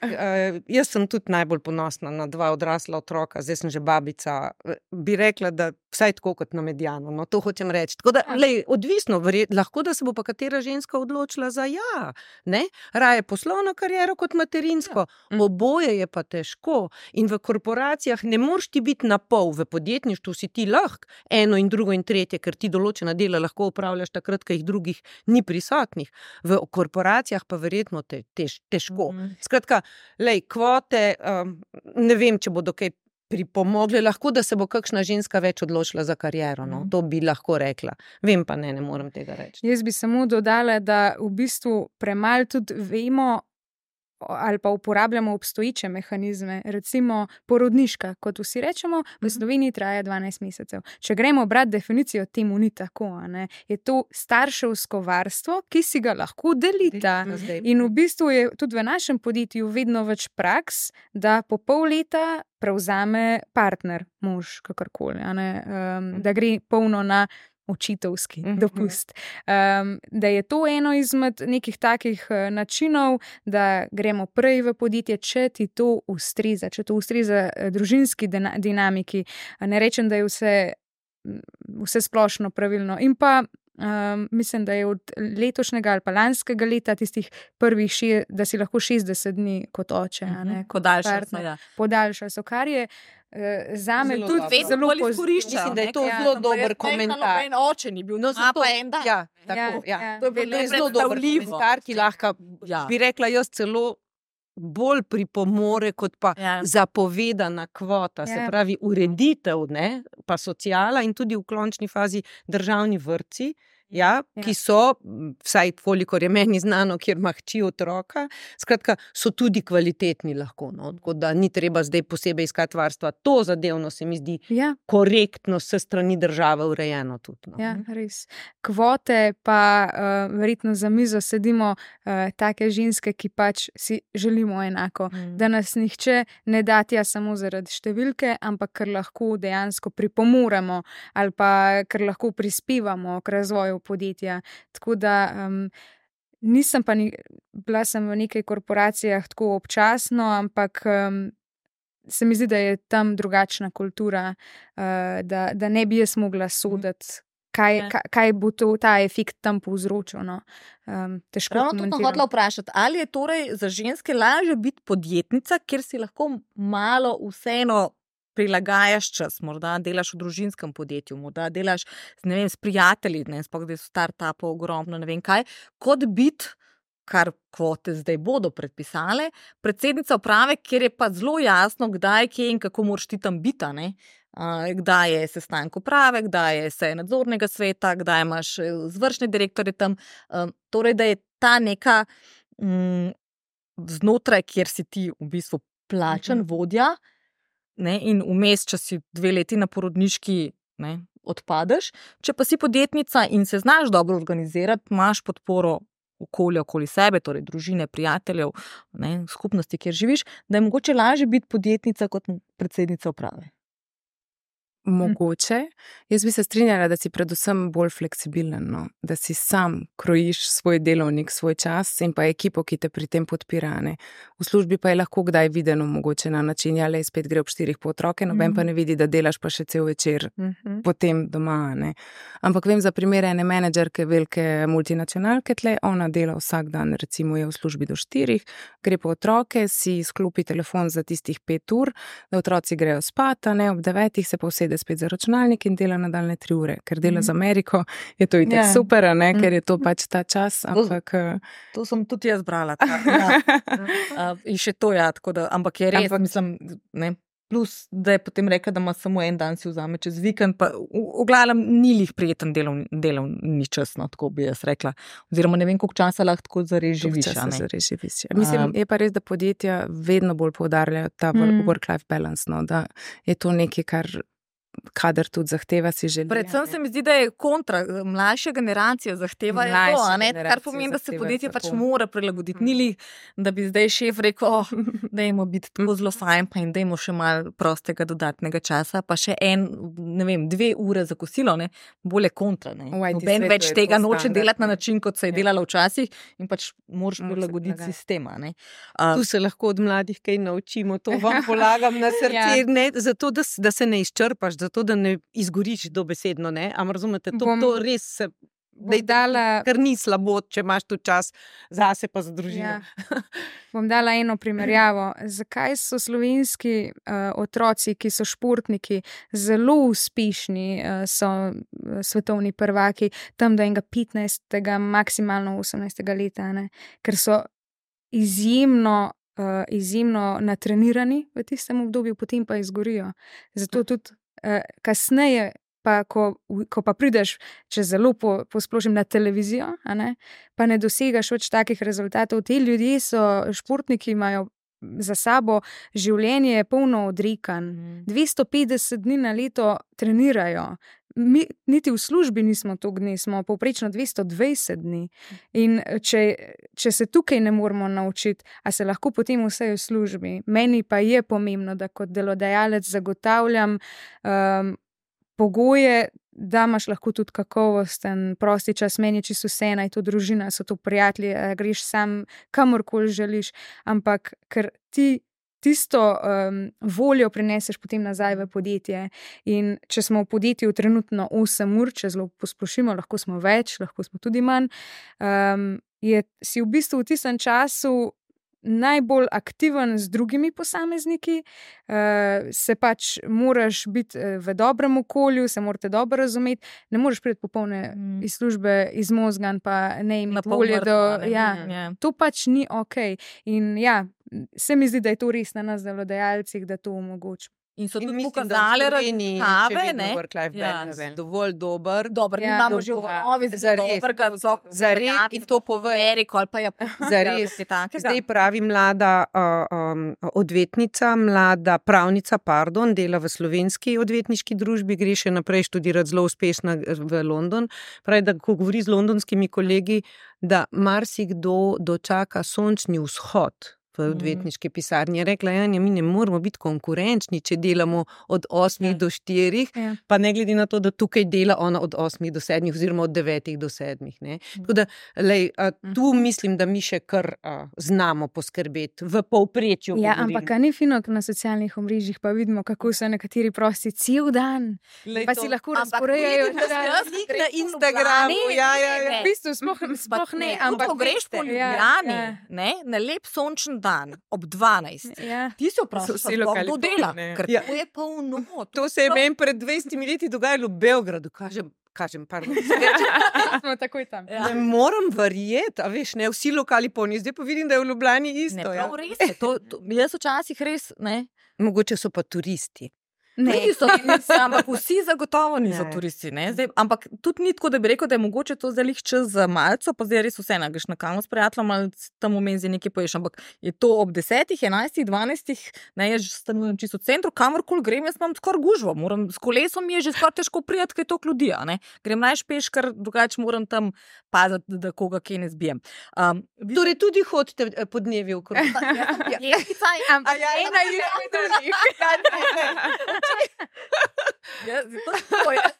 jaz sem tudi najbolj ponosna na 2 odrasla otroka, zdaj sem že babica, bi rekla, da vsaj tako kot na Medijanu, no to hočem reči. Tako da, odvisno, lahko da se bo pa katera ženska odločila za ja, ne? Raje poslovno kariero kot materinsko. Oboje je pa težko in v korporacijah ne moreš ti biti na pol, v podjetništvu si ti lahko eno in drugo in tretje, ker ti določena dela lahko upravljaš takrat, ko jih drugih ni prisotnih. V korporacijah pa verjetno težko. Skratka, kvote, ne vem, če bodo kaj pripomogli, lahko, da se bo kakšna ženska več odločila za kariero, no? To bi lahko rekla. Vem pa ne morem tega reči. Jaz bi samo dodala, da v bistvu premalo tudi vemo ali pa uporabljamo obstoječe mehanizme, recimo porodniška, kot vsi rečemo, v Sloveniji traja 12 mesecev. Če gremo brati definicijo, temu ni tako, ne? Je to starševsko varstvo, ki si ga lahko delita. In v bistvu je tudi v našem podjetju vedno več praks, da po pol leta prevzame partner, mož, kakorkoli, da gre polno na očitovski dopust. Da je to eno izmed nekih takih načinov, da gremo prej v podjetje, če ti to ustreza, družinski dinamiki. Ne rečem, da je vse splošno pravilno. In pa mislim, da je od letošnjega ali pa lanskega leta tistih prvih, da si lahko 60 dni kot oče. Podaljšajo so, kar je zame tudi zelo izkorišča. Mislim, da je to zelo dober komentar. En oče ni bil, no pa en dan. Ja, tako, ja. To je zelo dober komentar, ki lahko, bi rekla jaz, celo bolj pripomore kot pa zapovedana kvota, se pravi ureditev, ne, pa sociala in tudi v končni fazi državni vrtci, ki so, vsaj kolikor je meni znano, kjer ima hči otroka, skratka, so tudi kvalitetni lahko, no, tako da ni treba zdaj posebej iskati varstva. To zadevno se mi zdi korektno s strani države urejeno tudi. No. Ja, res. Kvote pa verjetno za mizo sedimo take ženske, ki pač si želimo enako, da nas nihče ne da tja samo zaradi številke, ampak ker lahko dejansko pripomoremo ali pa ker lahko prispevamo k razvoju podjetja. Tako da nisem pa bila sem v nekaj korporacijah tako občasno, ampak se mi zdi, da je tam drugačna kultura, da ne bi jaz mogla soditi, kaj bo ta efekt tam povzročil. No? Težko komentiram. To sem hotela vprašati, ali je torej za ženske lažje biti podjetnica, kjer si lahko malo vseeno prilagajaš čas, morda delaš v družinskem podjetju, morda delaš s prijatelji, sploh da so startupov ogromno, ne vem kaj, kot biti, kar kvote zdaj bodo predpisale, predsednica uprave, kjer je pa zelo jasno, kdaj, kje in kako moraš ti tam biti, ne? Kdaj je sestanek uprave, kdaj je seja nadzornega sveta, kdaj imaš izvršne direktorje tam, torej da je ta neka znotraj, kjer si ti v bistvu plačan vodja, ne, in vmes, če si 2 leti na porodniški, ne, odpadeš. Če pa si podjetnica in se znaš dobro organizirati, imaš podporo okolja okoli sebe, torej družine, prijateljev, ne, skupnosti, kjer živiš, da je mogoče lažje biti podjetnica kot predsednica uprave. Mogoče. Jaz bi se strinjala, da si predvsem bolj fleksibilen, no? Da si sam krojiš svoj delovnik, svoj čas in pa ekipo, ki te pri tem podpira. Ne? V službi pa je lahko kdaj videno mogoče na način, spet gre ob 4 po otroke, noben pa ne vidi, da delaš pa še cel večer potem doma. Ne? Ampak vem za primere ene menedžerke velike multinacionalke tle, ona dela vsak dan, recimo je v službi do 4, gre po otroke, si sklopi telefon za tistih 5 ur, da otroci grejo spat, ob 9 se pa vsede sede spet za računalnik in dela nadaljne 3 ure. Ker dela z Ameriko, je to itak super, ne? Ker je to pač ta čas. Ampak, to sem tudi jaz brala. In še to tako da, ampak je res, mislim, ne. Plus, da je potem rekla, da ima samo en dan si vzame čez vikend, pa v glavnem ni lih prijeten delovni čas, no, tako bi jaz rekla. Oziroma ne vem, koliko časa lahko tako zares živiš. Mislim, je pa res, da podjetja vedno bolj poudarjajo ta work-life balance, no, da je to nekaj, kar kadar tudi zahteva si želi. Predvsem se mi zdi, da je kontra, mlajša generacija zahteva to, kar pomeni, da se podjetje pač mora prilagoditi. Ni li, da bi zdaj šef rekel, dajmo biti tako zelo fajn, pa in dajmo še malo prostega dodatnega časa, pa še 2 ure za kosilo, ne, bolje kontra. Noben več tega noče delati na način, kot se je delala včasih in pač moraš prilagoditi sistema. Ne. Tu se lahko od mladih kaj naučimo, to vam polagam na srce, ne, zato, da se ne izčrpaš, zato, da ne izgoriš dobesedno, ne? Ampak razumete, to res se, kar ni slabo, če imaš tu čas zase pa za družino. Bom dala eno primerjavo. Zakaj so slovenski otroci, ki so športniki, zelo uspešni, so svetovni prvaki, tam do enega 15. maksimalno 18. leta, ne? Ker so izjemno natrenirani v tistem obdobju, potem pa izgorijo. Zato tudi kasneje, pa ko pa prideš, če zelo posplošim, na televizijo, pa ne dosegaš več takih rezultatov. Ti ljudje so športniki, imajo za sabo življenje polno odrekanj. 250 dni na leto trenirajo. Mi niti v službi nismo toliko dni, smo povprečno 220 dni. In če se tukaj ne moramo naučiti, a se lahko potem vse v službi. Meni pa je pomembno, da kot delodajalec zagotavljam pogoje, da imaš lahko tudi kakovosten prosti čas. Meni je čisto vseeno, je to družina, so to prijatelji, greš sam kamorkoli želiš, ampak ker ti tisto voljo prineseš potem nazaj v podjetje. In če smo v podjetju trenutno 8 ur, če zelo posplošimo, lahko smo več, lahko smo tudi manj, si v bistvu v tistem času najbolj aktiven z drugimi posamezniki, se pač moraš biti v dobrem okolju, se morate dobro razumeti, ne moreš priti popolne iz službe izmozgan, pa ne imeti volje do... To pač ni okej. In se mi zdi, da je to res na nas delodajalcih, da to omogočimo. In so tudi pokazali raziskave, dovolj dober. Imamo že v novi zares in to pove Eriko ali pa zares. Zdaj pravi mlada odvetnica, mlada pravnica, dela v slovenski odvetniški družbi, gre še naprej študirati, zelo uspešna v London. Pravi, da ko govori z londonskimi kolegi, da marsikdo dočaka sončni vzhod v odvetniški pisarni. Je rekla, Janja, mi ne moramo biti konkurenčni, če delamo od 8 do 4, pa ne glede na to, da tukaj dela ona od 8 do 7 oziroma od 9 do 7. Ne? Tako da, tu mislim, da mi še kar znamo poskrbeti v povprečju. Ampak ni fino, na socialnih omrežjih pa vidimo, kako so nekateri prosti cel dan. Pa si lahko razporejajo na Instagramu. V bistvu sploh ne. Ampak greš po Ljubljani, na lep sončen dan, ob 12. Ti se vprašaš, kdo dela, ker to je polno. To se je meni pred 20 leti dogajalo v Beogradu, kažem, pardon. Smo takoj tam. Ne moram verjeti, a veš, ne, vsi lokali polni, zdaj pa vidim, da je v Ljubljani isto. Ne, res je, jaz včasih res, ne. Mogoče so pa turisti. Niso turisti, ampak vsi zagotovo niso turisti. Zdaj, ampak tudi ni tako, da bi rekel, da je mogoče to zdaj čas za malco, pa zdaj res vse greš na kavo s prijateljem ali tam v menzi nekaj poješ, ampak je to ob 10, 11, 12, jaz stanujem čisto v centru, kamorkoli grem, jaz imam skoraj gužvo, s kolesom mi je že skoraj težko prijeti, kaj toliko ljudi, grem najpeš, ker drugače moram tam paziti, da koga kje ne zbijem. Torej tudi hodite po dnevi okrog. Jaz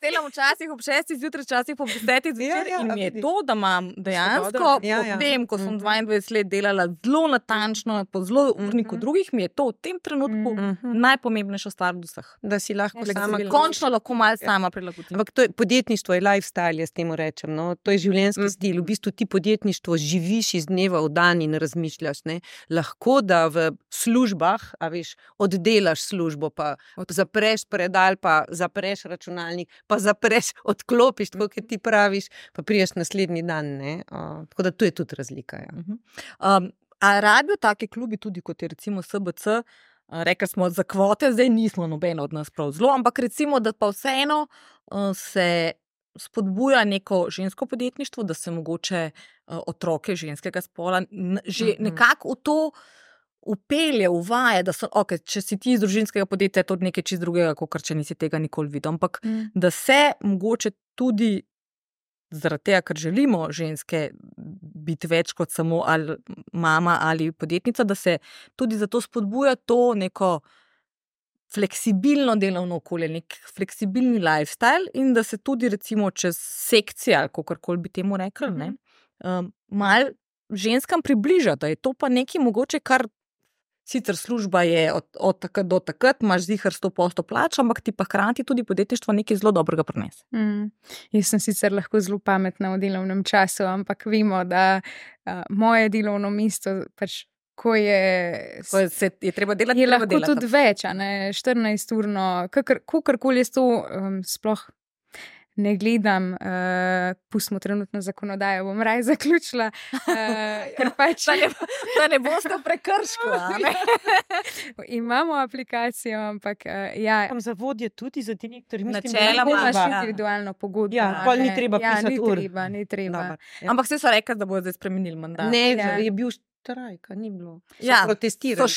delam včasih ob 6 zjutraj, včasih po 10 zvečer in mi je to, da imam dejansko potem, ko sem 22 let delala zelo natančno, po zelo urniku drugih, mi je to v tem trenutku najpomembnejša stvar od vseh. Da si lahko končno lahko malo sama prilagodim. Ampak to je podjetništvo, je lifestyle, jaz temu rečem. No? To je življenjski stil. V bistvu ti podjetništvo živiš iz dneva v dan in razmišljaš. Ne? Lahko da v službah, a veš, oddelaš službo, pa zapreš predal, pa zapreš računalnik, pa zapreš, odklopiš, tako kot ti praviš, pa priješ naslednji dan. Tako da tu je tudi razlika. Ja. A rabijo take klubi tudi, kot je recimo SBC, rekli smo za kvote, zdaj nismo nobeno od nas prav zelo, ampak recimo, da pa vseeno se spodbuja neko žensko podjetništvo, da se mogoče otroke ženskega spola že nekako v to upelje, uvaja, da so, če si ti iz družinskega podjetja, je to nekaj čist drugega, kot če nisi tega nikoli videl. Ampak da se mogoče tudi zaradi tega, ker želimo ženske biti več kot samo ali mama ali podjetnica, da se tudi zato spodbuja to neko fleksibilno delovno okolje, nek fleksibilni lifestyle in da se tudi recimo čez sekcije, ali kakorkoli bi temu rekli, malo ženskam približa, da je to pa nekaj mogoče, kar sicer služba je od takrat do takrat, imaš zihar 100% plač, ampak ti pa hkrati tudi podjetništvo nekaj zelo dobrega prinese. Jaz sem sicer lahko zelo pametna v delovnem času, ampak vemo, da moje delovno mesto pač ko je treba delati, je lahko tudi več, 14-urno, kakorkoli je to, sploh ne gledam, pustimo trenutno zakonodajo, bom raje zaključila, ker pač da ne boste v prekršku. Imamo aplikacijo, ampak ja. Tam za vodje tudi, za direktorje, načeloma imaš individualno pogodbo. Ja, pol ni treba pisati ur. Ni treba. Ampak vse so rekli, da bodo zdaj spremenili mandat. Ne, je bil štrajka, ni bilo. So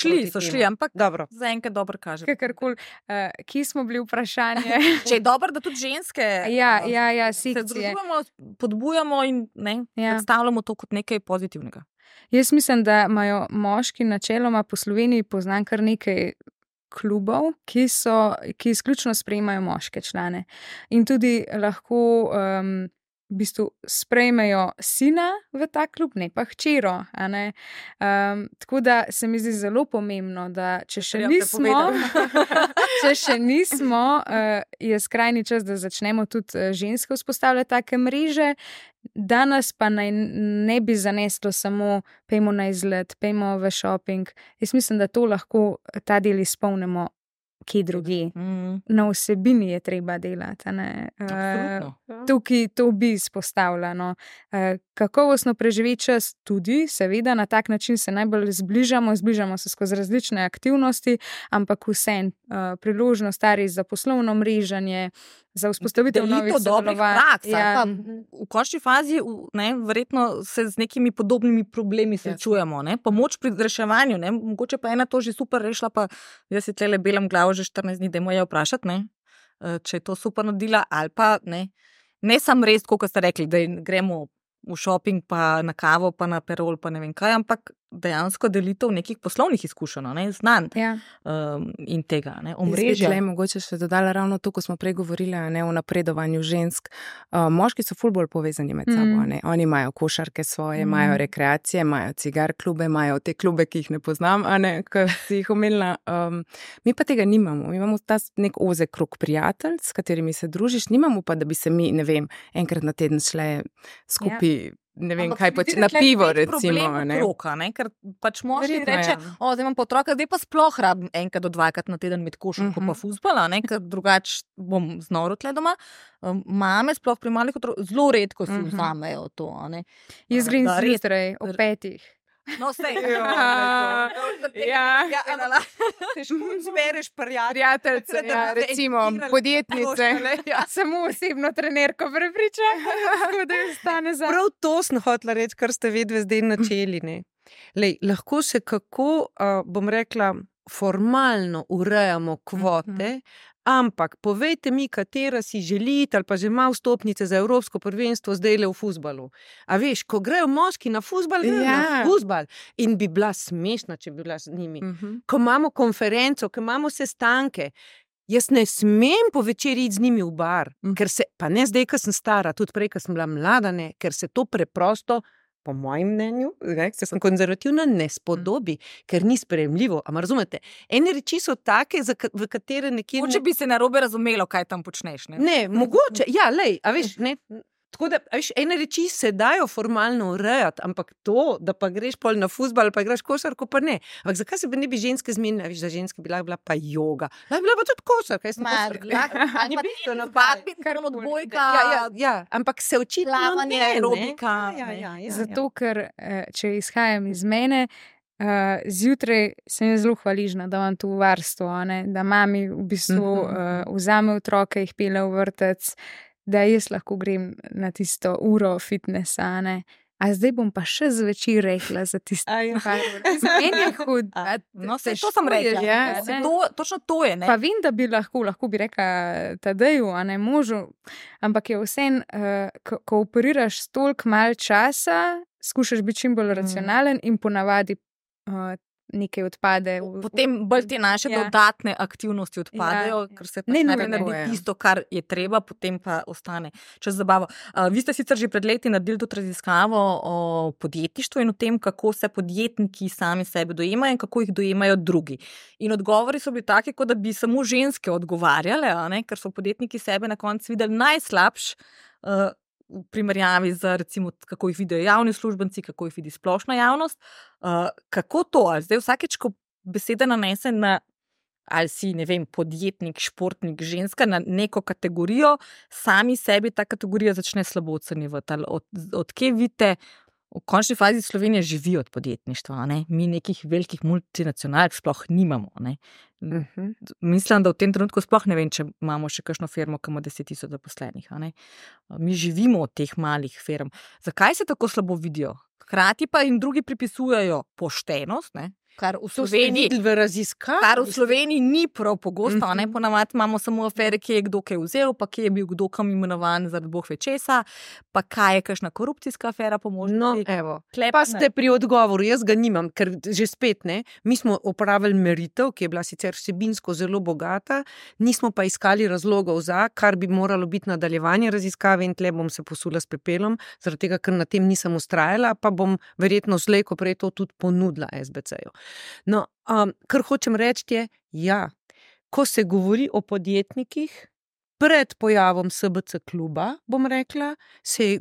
šli, ampak zaenkrat dobro kaže. Kakorkoli, kje smo bili vprašanje? Če je dobro, da tudi ženske se združujemo, podbujamo in predstavljamo to kot nekaj pozitivnega. Jaz mislim, da imajo moški načeloma po Sloveniji, poznam kar nekaj klubov, ki izključno sprejemajo moške člane. In tudi lahko v bistvu sprejmejo sina v ta klub, ne pa hčero. Tako da se mi zdi zelo pomembno, da če še nismo, je skrajni čas, da začnemo tudi ženske vzpostavljati take mreže, danes pa ne bi zaneslo samo pejmo na izlet, pejmo v shopping. Jaz mislim, da to lahko ta del izpolnimo kje drugi. Na vsebini je treba delati. Tukaj to bi izpostavljeno. Kakovostno preživeti čas tudi, seveda, na tak način se najbolj zbližamo se skozi različne aktivnosti, ampak vsem priložnost stari za poslovno mreženje, za vzpostavitev novih sodelovanj. V končni fazi verjetno se z nekimi podobnimi problemi srečujemo. Pomoč pri reševanju, mogoče pa ena to že super rešila, pa jaz si tlele belam glavo že 14 dni, dajmo jo vprašati, če je to super naredila ali pa ne sam res, kot ste rekli, da gremo v shopping, pa na kavo, pa na perol, pa ne vem kaj, ampak dejansko delitev nekih poslovnih izkušenj, znanj in tega, omrežja. Jaz bi mogoče še dodala ravno to, ko smo prej govorili o napredovanju žensk. Moški so ful bolj povezani med sabo. Oni imajo košarke svoje, imajo rekreacije, imajo cigar klube, imajo te klube, ki jih ne poznam, ki si jih omenila. Mi pa tega nimamo. Mi imamo ta nek ozek krog prijatelj, s katerimi se družiš, nimamo pa, da bi se mi, ne vem, enkrat na teden šle skupaj, ne vem, kaj na pivo, recimo. Ker pač moški reče, zdaj imam pa otroka, zdaj pa sploh rabim enkrat do dvakrat na teden med košarko pa fuzbala, ker drugače bom znoro tle doma. Mame sploh pri malih otrok zelo redko si vzamejo to. Jaz grem zjutraj ob 5. No, sej. Težko zbereš prijateljce, recimo podjetnice. Samo osebno trenerko prepričam, da je stane za. Prav to sem hotela reči, kar ste vedve zdaj načeli. Lahko se kako, bom rekla, formalno urejamo kvote, ampak povejte mi, katera si želite ali pa že ima vstopnice za evropsko prvenstvo zdajle v fuzbalu. A veš, ko grejo moški na fuzbal, grejo na fuzbal. In bi bila smešna, če bi bila z njimi. Ko imamo konferenco, ko imamo sestanke, jaz ne smem po večeri iti z njimi v bar, ker se, pa ne zdaj, ko sem stara, tudi prej, ko sem bila mlada, ker se to preprosto, po mojem mnenju, ker sem konzervativna, ne spodobi, ker ni sprejemljivo. Ampak razumete, ene reči so take, v katere nekje... Mogoče bi se narobe razumelo, kaj tam počneš, Ne, mogoče, a veš, Tako da, ene reči se dajo formalno urejati, ampak to, da pa greš pol na fuzbal, pa igraš košarko, pa ne. Ampak zakaj se pa ne bi ženske zmenile? Veš, da ženske bi bila pa joga. Lahko bila pa tudi košarka. Ali pa bistveno badminton, odbojka. Ja, ampak se očitno plavanje, aerobika. Ja. Zato, ker če izhajam iz mene, zjutraj sem zelo hvaležna, da imam to varstvo, da mami v bistvu vzame otroke, jih pele v vrtec, da jaz lahko grem na tisto uro fitnesa, A zdaj bom pa še zvečer rekla za tisto, kar meni je hud. No, to sem rekla. Točno to je. Pa vem, da bi lahko bi rekla Tadeju, možu, ampak je vsem, ko operiraš toliko malo časa, skušaš biti čim bolj racionalen in ponavadi nekaj odpade. Potem bolj te naše dodatne aktivnosti odpadejo, ker se pač najprej naredi tisto, kar je treba, potem pa ostane čez zabavo. Vi ste sicer že pred leti naredili tudi raziskavo o podjetništvu in o tem, kako se podjetniki sami sebe dojemajo in kako jih dojemajo drugi. In odgovori so bili taki, kot da bi samo ženske odgovarjale, ker so podjetniki sebe na koncu videli najslabš v primerjavi z, recimo, kako jih vidijo javni uslužbenci, kako jih vidi splošna javnost. Kako to? Zdaj vsakeč, ko beseda nanese na, ali si, ne vem, podjetnik, športnik, ženska, na neko kategorijo, sami sebi ta kategorija začne slabo ocenjevati. Od kje vidite, v končni fazi Slovenija živi od podjetništva, Mi nekih velikih multinacionalk sploh nimamo, Mislim, da v tem trenutku sploh ne vem, če imamo še kakšno firmo, ki ima 10,000 zaposlenih, Mi živimo od teh malih firm. Zakaj se tako slabo vidijo? Hkrati pa jim drugi pripisujejo poštenost, kar v Sloveniji ni prav pogosto, ponavadi imamo samo afere, kje je kdo kaj vzel, pa kje je bil kdo kam imenovan zaradi bog ve česa, pa kaj je kakšna korupcijska afera po možnosti. No, evo, pa ste pri odgovoru, jaz ga nimam, ker že spet mi smo opravili meritev, ki je bila sicer vsebinsko zelo bogata, nismo pa iskali razlogov za, kar bi moralo biti nadaljevanje raziskave in tle bom se posula s pepelom, zaradi tega, ker na tem nisem ustrajala, pa bom verjetno slej, ko prej to tudi ponudila SBC-ju. No, kar hočem reči je, ko se govori o podjetnikih, pred pojavom SBC kluba, bom rekla, se je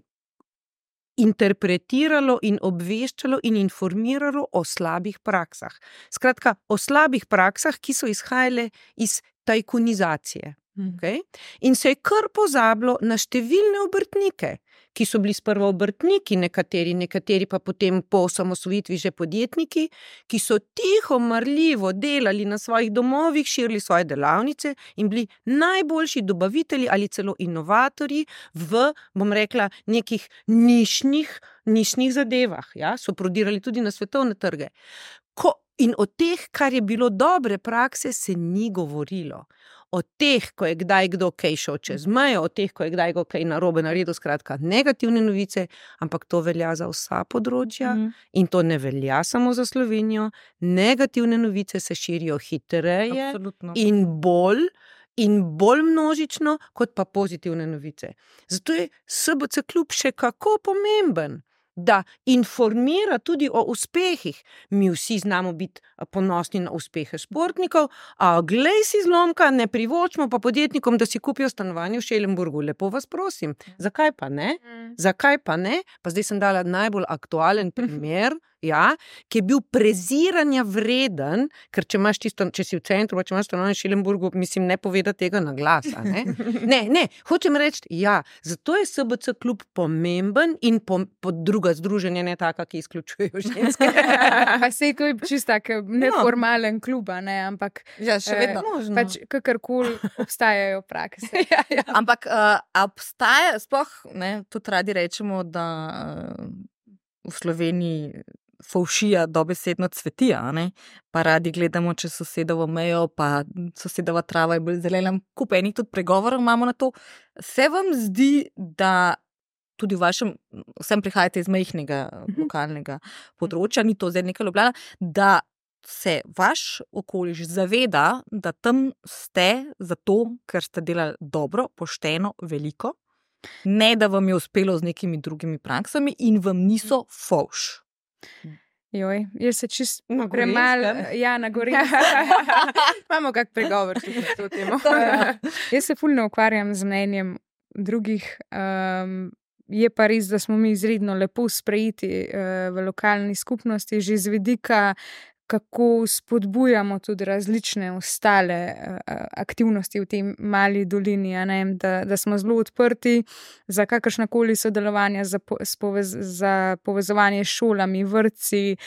interpretiralo in obveščalo in informiralo o slabih praksah. Skratka, o slabih praksah, ki so izhajale iz tajkunizacije. Okay? In se je kar pozabilo na številne obrtnike, ki so bili sprva obrtniki, nekateri pa potem po osamosvojitvi že podjetniki, ki so tiho, marljivo delali na svojih domovih, širili svoje delavnice in bili najboljši dobavitelji ali celo inovatorji v, bom rekla, nekih nišnih zadevah. So prodirali tudi na svetovne trge. In o teh, kar je bilo dobre prakse, se ni govorilo. O teh, ko je kdaj kdo kaj šel čez mejo, o teh, ko je kdaj kdo kaj narobe naredil, skratka negativne novice, ampak to velja za vsa področja in to ne velja samo za Slovenijo. Negativne novice se širijo hitreje in bolj množično, kot pa pozitivne novice. Zato je SBC klub še kako pomemben, da informira tudi o uspehih. Mi vsi znamo biti ponosni na uspehe športnikov, a glej si zlomka, ne privočimo pa podjetnikom, da si kupijo stanovanje v Schellenburgu. Lepo vas prosim. Zakaj pa ne? Pa zdaj sem dala najbolj aktualen primer, ki je bil preziranja vreden, ker če si v centru, pa če imaš stanovanje v Schellenburgu, mislim, ne povedati tega na glas. Ne, hočem reči, zato je SBC klub pomemben in druga združenja ne taka, ki izključujejo ženske. Pa sej to je čist tak neformalen klub, ampak še vedno možno. Pač kakorkoli obstajajo prakse. Ampak obstaja, sploh, tudi radi rečemo, da v Sloveniji fovšija dobesedno cveti, pa radi gledamo čez sosedovo mejo, pa sosedova trava je bolj zelena, kup enih tudi pregovorov imamo na to. Se vam zdi, da tudi v vašem, vsem prihajate iz majhnega lokalnega področja, ni to zdaj neka Ljubljana, da se vaš okoliš zaveda, da tam ste zato, ker ste delali dobro, pošteno, veliko, ne da vam je uspelo z nekimi drugimi praksami in vam niso fovš. Joj, jaz se čist premalo, na Gorenjskem. Imamo kak pregovor tudi na to temo. Jaz se ful ne ukvarjam z mnenjem drugih, Je pa res, da smo mi izredno lepo sprejeti v lokalni skupnosti, že z vidika, kako spodbujamo tudi različne ostale aktivnosti v tej mali dolini, da smo zelo odprti za kakršnakoli sodelovanja, za povezovanje s šolami, vrtci,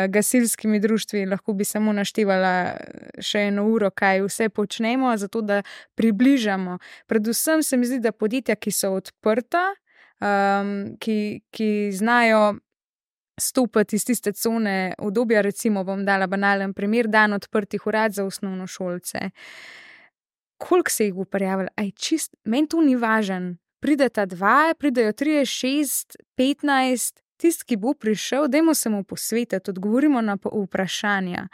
gasilskimi društvi. Lahko bi samo naštevala še 1 uro, kaj vse počnemo, zato da približamo. Predvsem se mi zdi, da podjetja, ki so odprta, ki znajo stopiti iz tiste cone udobja, recimo bom dala banalen primer, dan odprtih urad za osnovnošolce. Koliko se jih bo prijavilo? Meni to ni važen. Prideta 2, pridejo 3, 6, 15, tisti, ki bo prišel, dajmo se mu posvetiti, odgovorimo na vprašanja.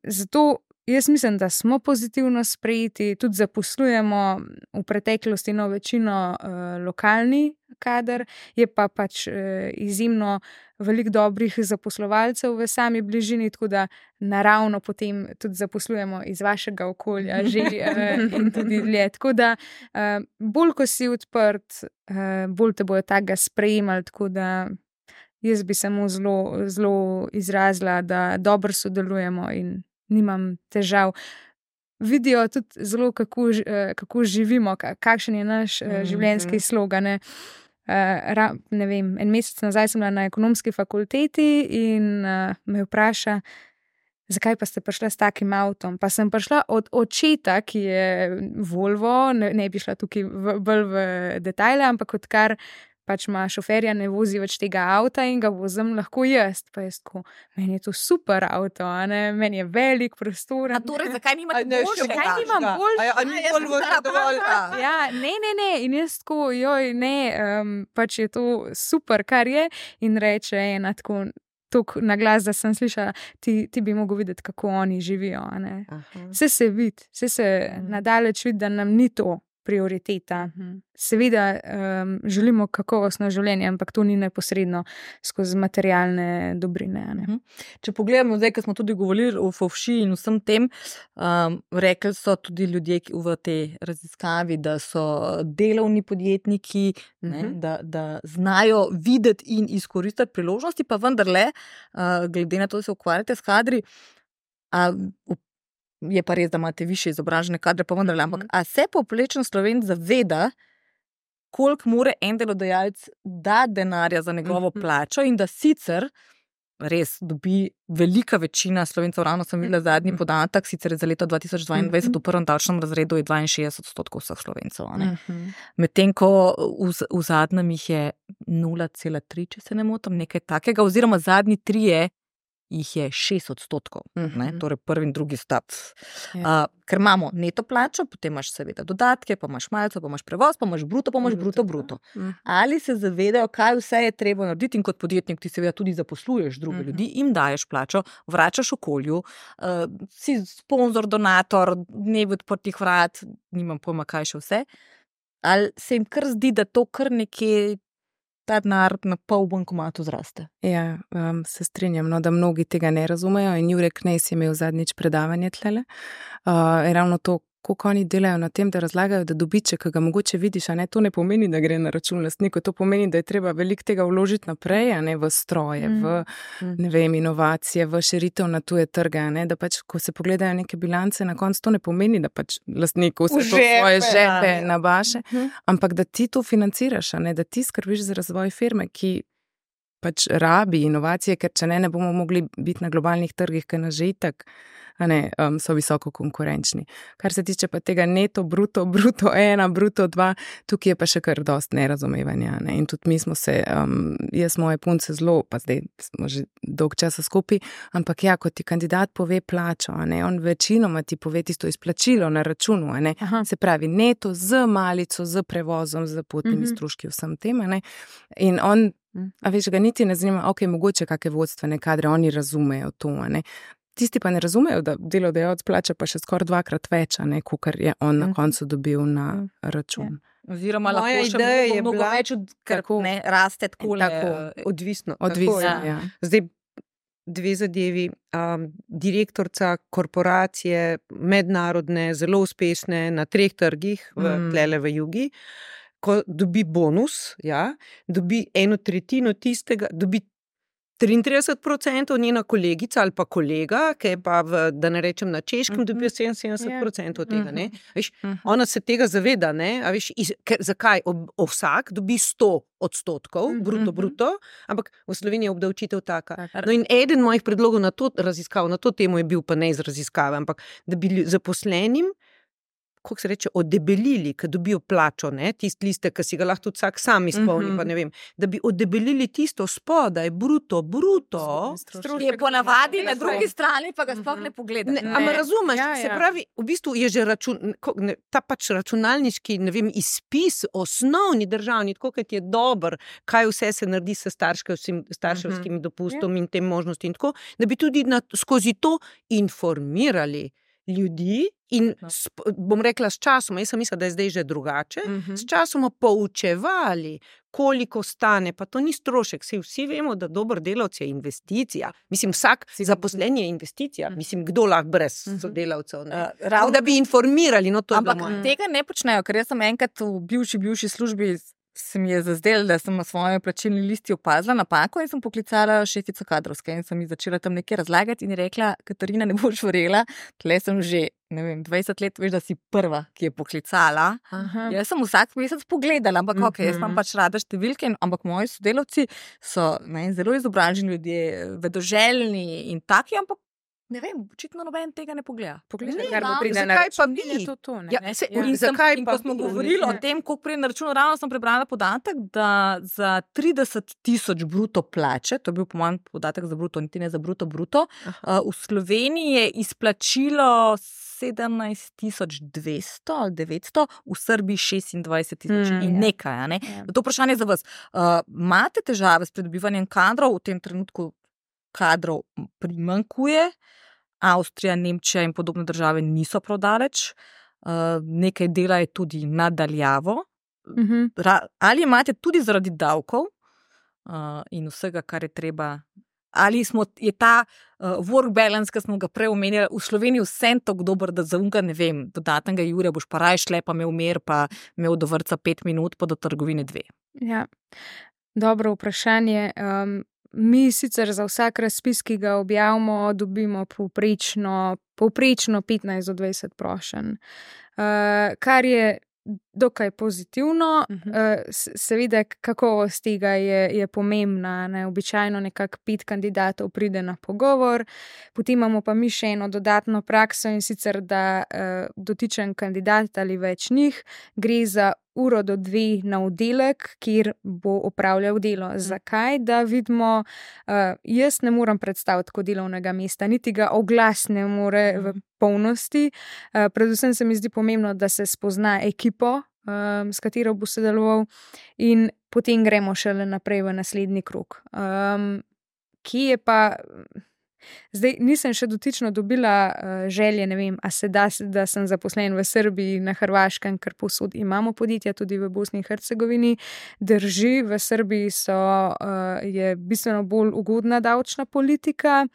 Zato jaz mislim, da smo pozitivno sprejeti, tudi zaposlujemo v preteklosti večino lokalni kader, je pa pač izjemno veliko dobrih zaposlovalcev v sami bližini, tako da naravno potem tudi zaposlujemo iz vašega okolja že in tudi dlje. Tako da bolj, ko si odprt, bolj te bojo takega sprejemali, tako da jaz bi samo zelo izrazila, da dobro sodelujemo in nimam težav. Vidijo tudi zelo, kako živimo, kakšen je naš življenjski slogan. Ne vem, 1 mesec nazaj sem bila na ekonomski fakulteti in me vpraša, zakaj pa ste prišla s takim avtom? Pa sem prišla od očeta, ki je Volvo, ne bi šla tukaj bolj v detajle, ampak odkar pač ima šoferja, ne vozi več tega avta in ga vozim lahko jaz. Pa jaz tako, meni je to super avto, meni je velik prostor. A torej, zakaj nimate boljšega? Zakaj nimam boljšega? A ni Volvo še dovolj? Ja, ne. In jaz tako, pač je to super, kar je. In reče ena tako na glas, da sem slišala, ti bi mogel videti, kako oni živijo. Vse se vidi, vse se nadaleč vidi, da nam ni to prioriteta. Seveda želimo kakovostno življenje, ampak to ni neposredno skozi materialne dobrine. Če pogledamo zdaj, ko smo tudi govorili o fovši in vsem tem, rekli so tudi ljudje v tej raziskavi, da so delovni podjetniki, da znajo videti in izkoristiti priložnosti, pa vendarle, glede na to, da se ukvarjate s kadri, je pa res, da imate više izobražene kadre, pa vendarle, ampak a se povprečen Slovenec zaveda, koliko mora en delodajalec dati denarja za njegovo plačo in da sicer res dobi velika večina Slovencev, ravno sem videla zadnji podatek, sicer za leto 2022 v prvem davčnem razredu je 62% vseh Slovencev. Medtem ko v zadnjem jih je 0,3, če se ne motim, nekaj takega, oziroma zadnji 3 jih je 6%, torej prvi in drugi stap. Ker imamo neto plačo, potem imaš seveda dodatke, pa imaš malce, pa imaš prevoz, pa imaš bruto, pa imaš bruto. Ali se zavedajo, kaj vse je treba narediti, in kot podjetnik ti seveda tudi zaposluješ druge ljudi, jim daješ plačo, vračaš okolju, si sponzor, donator, dnevi odprtih vrat, nimam pojma, kaj še vse. Ali se jim kar zdi, da to kar nekje ta denar na pol bankomatu zraste? Ja, se strinjam, da mnogi tega ne razumejo in Jure Knez je imel zadnjič predavanje tlele. Ravno to, koliko oni delajo na tem, da razlagajo, da dobiček, ki ga mogoče vidiš, to ne pomeni, da gre na račun lastniku, to pomeni, da je treba veliko tega vložiti naprej, v stroje, v inovacije, v širitev na tuje trge, da pač, ko se pogledajo neke bilance, na koncu to ne pomeni, da pač lastniku vse to svoje žepe nabaše, ampak da ti to financiraš, da ti skrbiš za razvoj firme, ki pač rabi inovacije, ker če ne bomo mogli biti na globalnih trgih, ker nas že itak so visoko konkurenčni. Kar se tiče pa tega neto, bruto 1, bruto 2, tukaj je pa še kar dost nerazumevanja. In tudi mi smo se, jaz moje punce zelo, pa zdaj smo že dolg časa skupaj, ampak ja, ko ti kandidat pove plačo, on večinoma ti pove tisto izplačilo na računu, se pravi neto z malico, z prevozom, z potnimi stroški, vsem tem, in on, a veš, ga niti ne zanima, mogoče kakšne vodstvene kadre, oni razumejo to, Tisti pa ne razumejo, da delodajalec plača pa še skoraj 2-krat več, kakor je on na koncu dobil na račun. Oziroma lahko še mnogo več, ker raste tako. Odvisno. Ja. Zdaj 2 zadevi. Direktorica korporacije, mednarodne, zelo uspešne na 3 trgih, tlele v Jugi. ko dobi bonus, dobi 1/3 tistega, dobi 33% njena kolegica ali pa kolega, ki je pa, da ne rečem na češkem, dobijo 77% tega. Ne? Veš, ona se tega zaveda, ne? A veš, zakaj? Vsak dobi 100% bruto, ampak v Sloveniji je obdavčitev taka. No in eden mojih predlogov na to raziskav, na to temo je bil pa ne iz raziskave, ampak da bi zaposlenim, kako se reče, oddebelili, ki dobijo plačo, ne, tisti listek, ki si ga lahko tudi vsak sam izpolni, pa ne vem, da bi oddebelili tisto spodaj, bruto, je ponavadi na drugi strani, pa ga sploh ne pogledaš. Ampak razumeš, se pravi, v bistvu je že ta pač računalniški, ne vem, izpis, osnovni državni, tako kot je dober, kaj vse se naredi s starševskim dopustom in tem možnosti in tako, da bi tudi skozi to informirali ljudi in bom rekla s časom, jaz sem mislila, da je zdaj že drugače, s časom poučevali, koliko stane, pa to ni strošek, vsi vemo, da dober delavec je investicija. Mislim, vsak zaposlen je investicija. Mislim, kdo lahko brez sodelavcev. Da bi informirali, no to je bilo moje. Ampak tega ne počnejo, ker jaz sem enkrat v bivši službi se mi je zazdelo, da sem na svojem plačilni listi opazila napako in sem poklicala šefico kadrovske in sem ji začela tam nekaj razlagati in je rekla, Katarina, ne boš verjela, tle sem že, ne vem, 20 let, veš, da si prva, ki je poklicala. Jaz sem vsak mesec pogledala, ampak jaz imam pač rada številke, ampak moji sodelavci so zelo izobraženi ljudje, vedoželjni in taki, ampak ne vem, očitno noben tega ne pogleda. Zakaj pa mi? In ko smo govorili o tem, koliko prije na računu, ravno sem prebrala podatek, da za 30.000 bruto plače, to je bil po mojem podatek za bruto, niti ne za bruto, v Sloveniji je izplačilo 17.200 ali 900, v Srbiji 26.000 in nekaj. Ne? To vprašanje za vas. Imate težave s pridobivanjem kadrov? V tem trenutku kadrov primanjkuje. Avstrija, Nemčija in podobne države niso prav daleč. Nekaj dela je tudi nadaljavo. Ali imate tudi zaradi davkov in vsega, kar je treba, ali je ta work balance, ki smo ga prej omenjali, v Sloveniji vsem tako dober, da za unga, ne vem, dodatnega jurja boš pa raje šle, pa imel mir, pa imel do vrtca 5 minut, pa do trgovine 2. Ja, dobro vprašanje. Mi sicer za vsak razpis, ki ga objavimo, dobimo povprečno 15 do 20 prošenj, kar je dokaj pozitivno. Seveda kakovost tega je pomembna. Ne? Običajno nekako 5 kandidatov pride na pogovor, potem imamo pa mi še eno dodatno prakso in sicer, da dotičen kandidat ali več njih gre za 1 do 2 na oddelek, kjer bo opravljal delo. Zakaj? Da vidimo, jaz ne morem predstaviti tako delovnega mesta, niti ga oglas ne more v polnosti. Predvsem se mi zdi pomembno, da se spozna ekipo, s katero bo sodeloval in potem gremo šele naprej v naslednji krog. Ki je pa... Zdaj nisem še dotično dobila želje, ne vem, a se da sem zaposlen v Srbiji, na Hrvaškem, ker povsod imamo podjetja, tudi v Bosni in Hercegovini. Drži, v Srbiji je bistveno bolj ugodna davčna politika.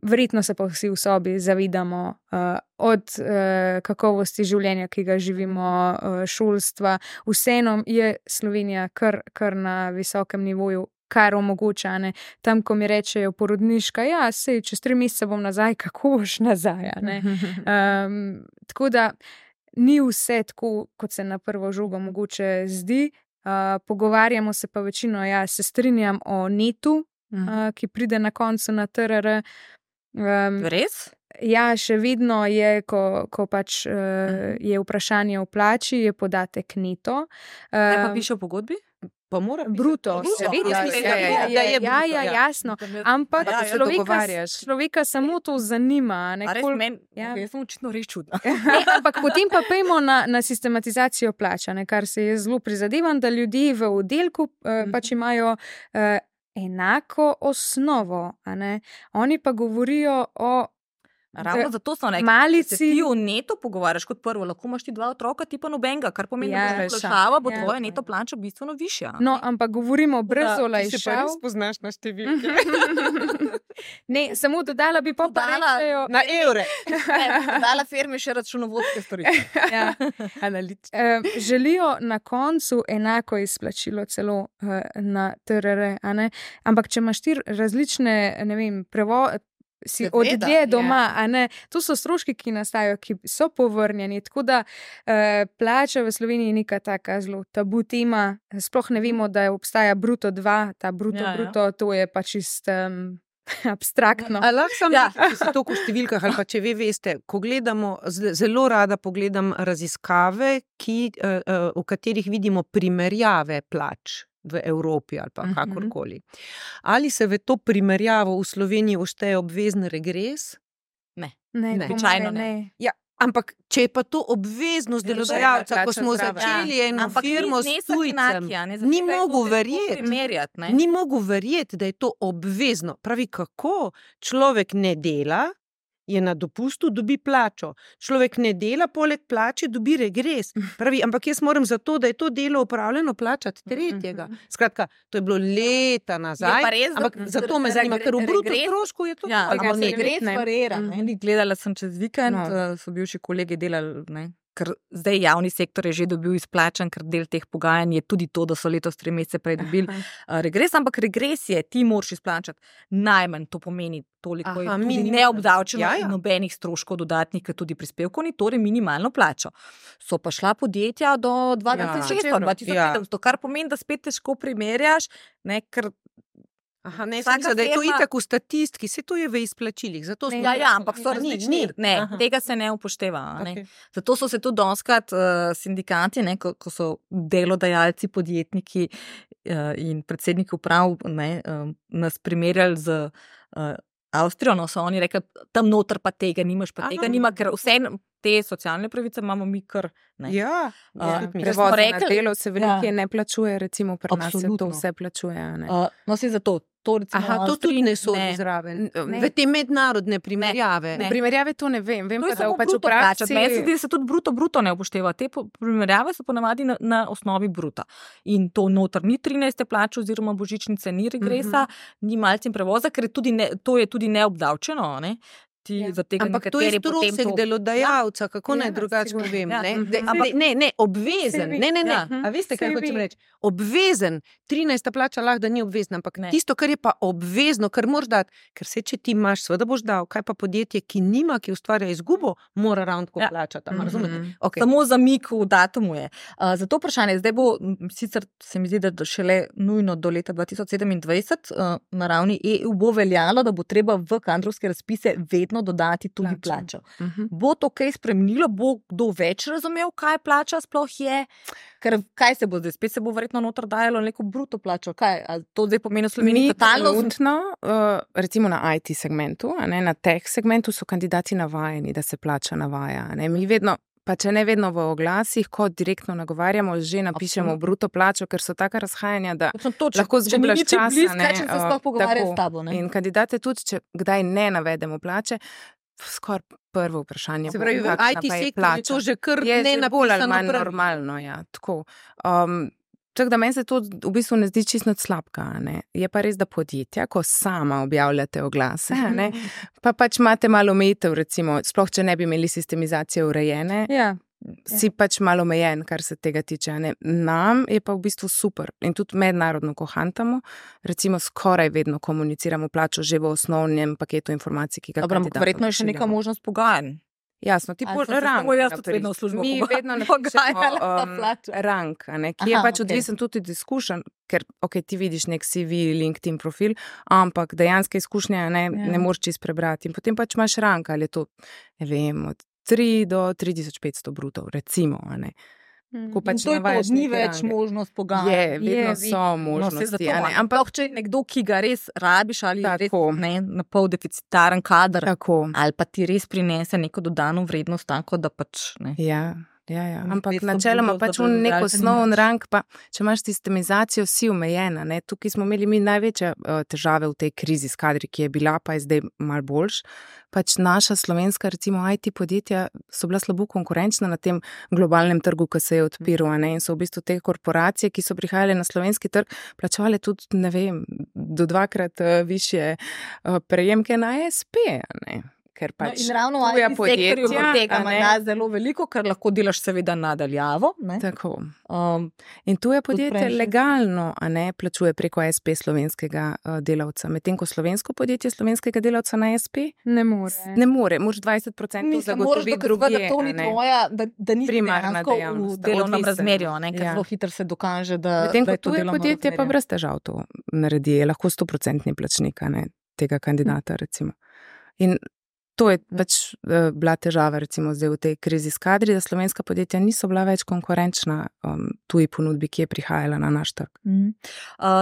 Verjetno se pa vsi v sobi zavidamo od kakovosti življenja, ki ga živimo, šolstva. Vseeno je Slovenija kar na visokem nivoju, kar omogoča, ne. Tam, ko mi rečejo porodniška, ja, sej, čez 3 mesece bom nazaj, kako boš nazaj, ne. Tako da ni vse tako, kot se na prvo žogo mogoče zdi. Pogovarjamo se pa večino, se strinjam o netu, ki pride na koncu na TRR. Res? Ja, še vedno je, ko pač je vprašanje o plači, je podatek neto. Kaj pa piše v pogodbi? Pa mora bruto. Ja, jasno. Ampak človeka samo to zanima. Jaz sem očitno res čudna. Ampak potem pa pejmo na sistematizacijo plača, kar se je zelo prizadevam, da ljudje v oddelku pač imajo enako osnovo. Oni pa govorijo o Ravno zato so rekli, malici. da se ti v neto pogovarjaš kot prvo, lahko imaš ti 2 otroka, ti pa nobenega, kar pomeni, da bo olajšava, bo tvoja neto plača bistveno višja. No, ampak govorimo brez olajšav. Ti se pa res poznaš na številke. Ne, samo dodala bi pa rečejo. Na evre. Dala firmi še računovodske storitve. Ja. Želijo na koncu enako izplačilo celo na TRR, a ne? Ampak če imaš ti različne, ne vem, si od dlje doma, a ne, to so stroški, ki nastajajo, ki so povrnjeni, tako da plača v Sloveniji je neka taka zelo tabu tema, sploh ne vemo, da obstaja bruto 2, ta bruto, to je pa čist abstraktno. Lahko sam se to v številkah, ali pa če vi veste, ko gledamo, zelo rada pogledam raziskave, v katerih vidimo primerjave plač v Evropi ali pa kakorkoli. Ali se v to primerjavo v Sloveniji všteje obvezen regres? Ne. Običajno ne. Ja, ampak če je pa to obveznost delodajalca, ko smo začeli eno firmo s tujcem, ni mogel verjeti, da je to obvezno. Pravi, kako človek ne dela, je na dopustu, dobi plačo. Človek ne dela, poleg plače dobi regres. Pravi, ampak jaz moram za to, da je to delo opravljeno, plačati tretjega. Skratka, to je bilo leta nazaj, ampak zato me zanima, ker v bruto strošku je to. Ampak regres varira. Gledala sem čez vikend, so bivši kolegi delali, ker zdaj javni sektor je že dobil izplačan, ker del teh pogajanj je tudi to, da so letos 3 mesece prej dobili regres, ampak regres je, ti moraš izplačati najmanj, to pomeni toliko, je tudi neobdavčeno in nobenih stroškov dodatnih, ker tudi prispevkov ni, torej minimalno plačo. So pa šla podjetja do 2600, kar pomeni, da spet težko primerjaš, ker da je to itak v statistiki, se to je v izplačilih. Ampak so različni. Tega se ne upošteva. Okay. Zato so se tudi dostikrat sindikati, ko so delodajalci, podjetniki in predsedniki uprav nas primerjali z Avstrijo, so oni rekli, tam noter pa tega nimaš, pa tega nima, ker vse te socialne pravice imamo mi kar. Prevoz na delo se velike ne plačuje, recimo pri nas se to vse plačuje. No, si zato. To tudi ne sodi zraven. V te mednarodne primerjave. Primerjave to ne vem. Vem pa, da pač v praksi. Meni se zdi, da se tudi bruto ne upošteva. Te primerjave so ponavadi na osnovi bruta. In to noter ni 13. plače oziroma božičnice, ni regresa, ni malcem prevoza, ker to je tudi neobdavčeno, ne? Ampak to je strošek delodajalca, kako naj drugače povem. Ne, obvezen. Ne. A veste, kaj hočem reči? Obvezen. 13. plača lahko, da ni obvezna, ampak tisto, kar je pa obvezno, kar moraš dati, ker se če ti imaš, seveda boš dal, kaj pa podjetje, ki nima, ki ustvarja izgubo, mora ravno tako plačati. Samo zamik v datumu je. Zato vprašanje, zdaj bo, sicer se mi zdi, da šele nujno do leta 2027 na ravni EU bo veljalo, da bo treba v kadrovske razpise vedno dodati tudi plačo. Bo to kaj spremenilo? Bo kdo več razumel, kaj plača sploh je? Ker kaj se bo zdaj? Spet se bo verjetno noter dajalo neko bruto plačo. Kaj? A to zdaj pomeni v Sloveniji totalno? Recimo na IT segmentu, na tech segmentu so kandidati navajeni, da se plača navaja. Mi vedno, pa če ne vedno v oglasih, ko direktno nagovarjamo, že napišemo bruto plačo, ker so taka razhajanja, da lahko zgubljaš časa. In kandidate tudi, če kdaj ne navedemo plače, skoraj prvo vprašanje. Se pravi, v IT sektorju je to že kar ne napisano prvi. Normalno, tako. Tako da meni se to v bistvu ne zdi čisto slabka. Je pa res, da podjetja, ko sama objavljate oglase, pa pač imate malo omejitev, recimo, sploh če ne bi imeli sistemizacije urejene, si pač malo omejen, kar se tega tiče. Nam je pa v bistvu super in tudi mednarodno, ko hantamo, recimo skoraj vedno komuniciramo plačo že v osnovnem paketu informacij, ki ga kandidatom pošiljamo. Verjetno je še neka možnost pogajanj. Jasno, ti rang. Mi vedno napišemo rang, ki je pač odvisen tudi od izkušenj, ker ti vidiš nek CV, LinkedIn profil, ampak dejanske izkušnje ne moreš čisto prebrati. In potem pač imaš rang, ali je to, ne vem, od 3 do 3500 brutov, recimo, Ko pač to ni več možnost pogajanj. Vedno so možnosti. Ampak če nekdo, ki ga res rabiš ali res na pol deficitaren kader, ali pa ti res prinese neko dodano vrednost, tako da pač. Ja. Ampak načeloma pač nek osnovni rang, pa če imaš sistemizacijo, si omejena. Ne? Tukaj smo imeli mi največje težave v tej krizi s kadri, ki je bila, pa je zdaj malo boljš. Pač naša slovenska, recimo IT podjetja, so bila slabo konkurenčna na tem globalnem trgu, ki se je odpiral, ne? In so v bistvu te korporacije, ki so prihajale na slovenski trg, plačevale tudi, ne vem, do 2-krat višje prejemke na ASP, ne? Ker pač in ravno v IT sektorju tega ima zelo veliko, ker lahko delaš seveda nadaljavo. Tako. In tu je podjetje legalno, a ne, plačuje preko ASP slovenskega delavca. Medtem ko slovensko podjetje slovenskega delavca na ASP ne more. Ne more, moraš 20% zagotoviti drugje. To ni tvoja, da ni primarna dejavnost. V delovnem razmerju, ker zelo hitro se dokaže, da medtem ko tu je podjetje pa brez težav to naredi. Je lahko 100% plačnik, a ne, tega kandidata, recimo. In to je pač bila težava, recimo zdaj v tej krizi s kadri, da slovenska podjetja niso bila več konkurenčna tuji ponudbi, ki je prihajala na naš trg.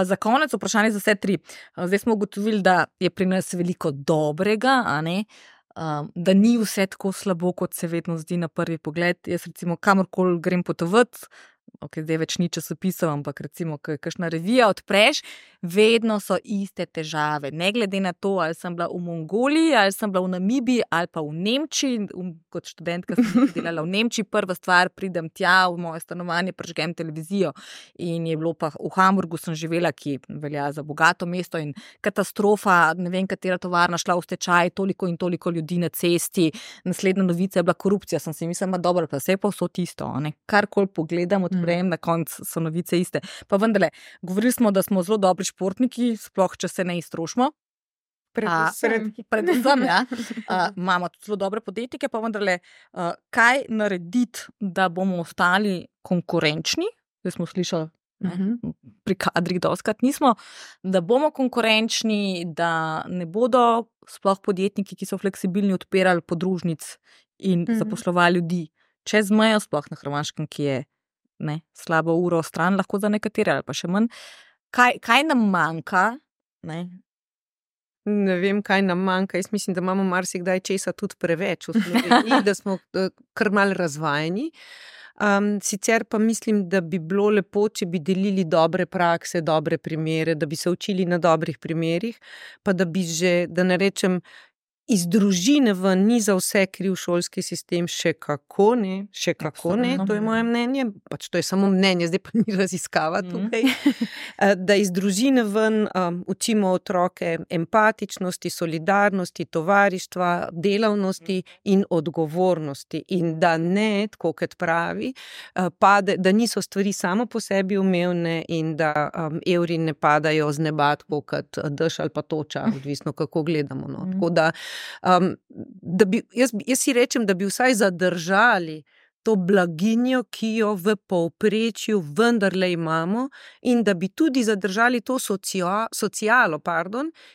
Za konec vprašanje za vse tri. Zdaj smo ugotovili, da je pri nas veliko dobrega, a ne? Da ni vse tako slabo, kot se vedno zdi na prvi pogled. Jaz recimo kamorkoli grem potovati, zdaj več ni časopisov, ampak recimo, ko je kakšna revija odpreš, vedno so iste težave. Ne glede na to, ali sem bila v Mongoliji, ali sem bila v Namibiji, ali pa v Nemčiji. Kot študentka sem delala v Nemčiji, prva stvar, pridem tja v moje stanovanje, prižgem televizijo in je bilo pa v Hamburgu sem živela, ki velja za bogato mesto in katastrofa, ne vem, katera tovarna šla v stečaj, toliko in toliko ljudi na cesti. Naslednja novica je bila korupcija, sem si mislila, dobro, pa vse je pa vso tisto, ne? Karkoli pogledam, odprejem, na koncu so novice iste. Pa vendarle, govorili smo, da smo zelo dobri športniki, sploh če se ne iztrošimo. Predvsem, ja. Imamo tudi zelo dobre podjetnike, pa vendarle, kaj narediti, da bomo ostali konkurenčni? Zdaj smo slišali, pri kadrih dostikrat nismo, da bomo konkurenčni, da ne bodo sploh podjetniki, ki so fleksibilni, odpirali podružnic in zaposlovali ljudi čez mejo, sploh na Hrvaškem, ki je slabo uro stran, lahko za nekatere ali pa še manj. Kaj nam manjka? Ne vem, kaj nam manjka. Jaz mislim, da imamo marsikdaj česa tudi preveč v Sloveniji, da smo kar malo razvajeni. Sicer pa mislim, da bi bilo lepo, če bi delili dobre prakse, dobre primere, da bi se učili na dobrih primerih, pa da bi že, da ne rečem, iz družine ven ni za vse kriv šolski sistem, še kako ne, to je moje mnenje, pač to je samo mnenje, zdaj pa ni raziskava tukaj, da iz družine ven učimo otroke empatičnosti, solidarnosti, tovarištva, delavnosti in odgovornosti in da ne, tako kot pravi, da niso stvari samo po sebi umevne in da evri ne padajo z neba, tako kot dež ali pa toča, odvisno kako gledamo. No. Tako da jaz si rečem, da bi vsaj zadržali to blaginjo, ki jo v povprečju vendarle imamo in da bi tudi zadržali to socialo,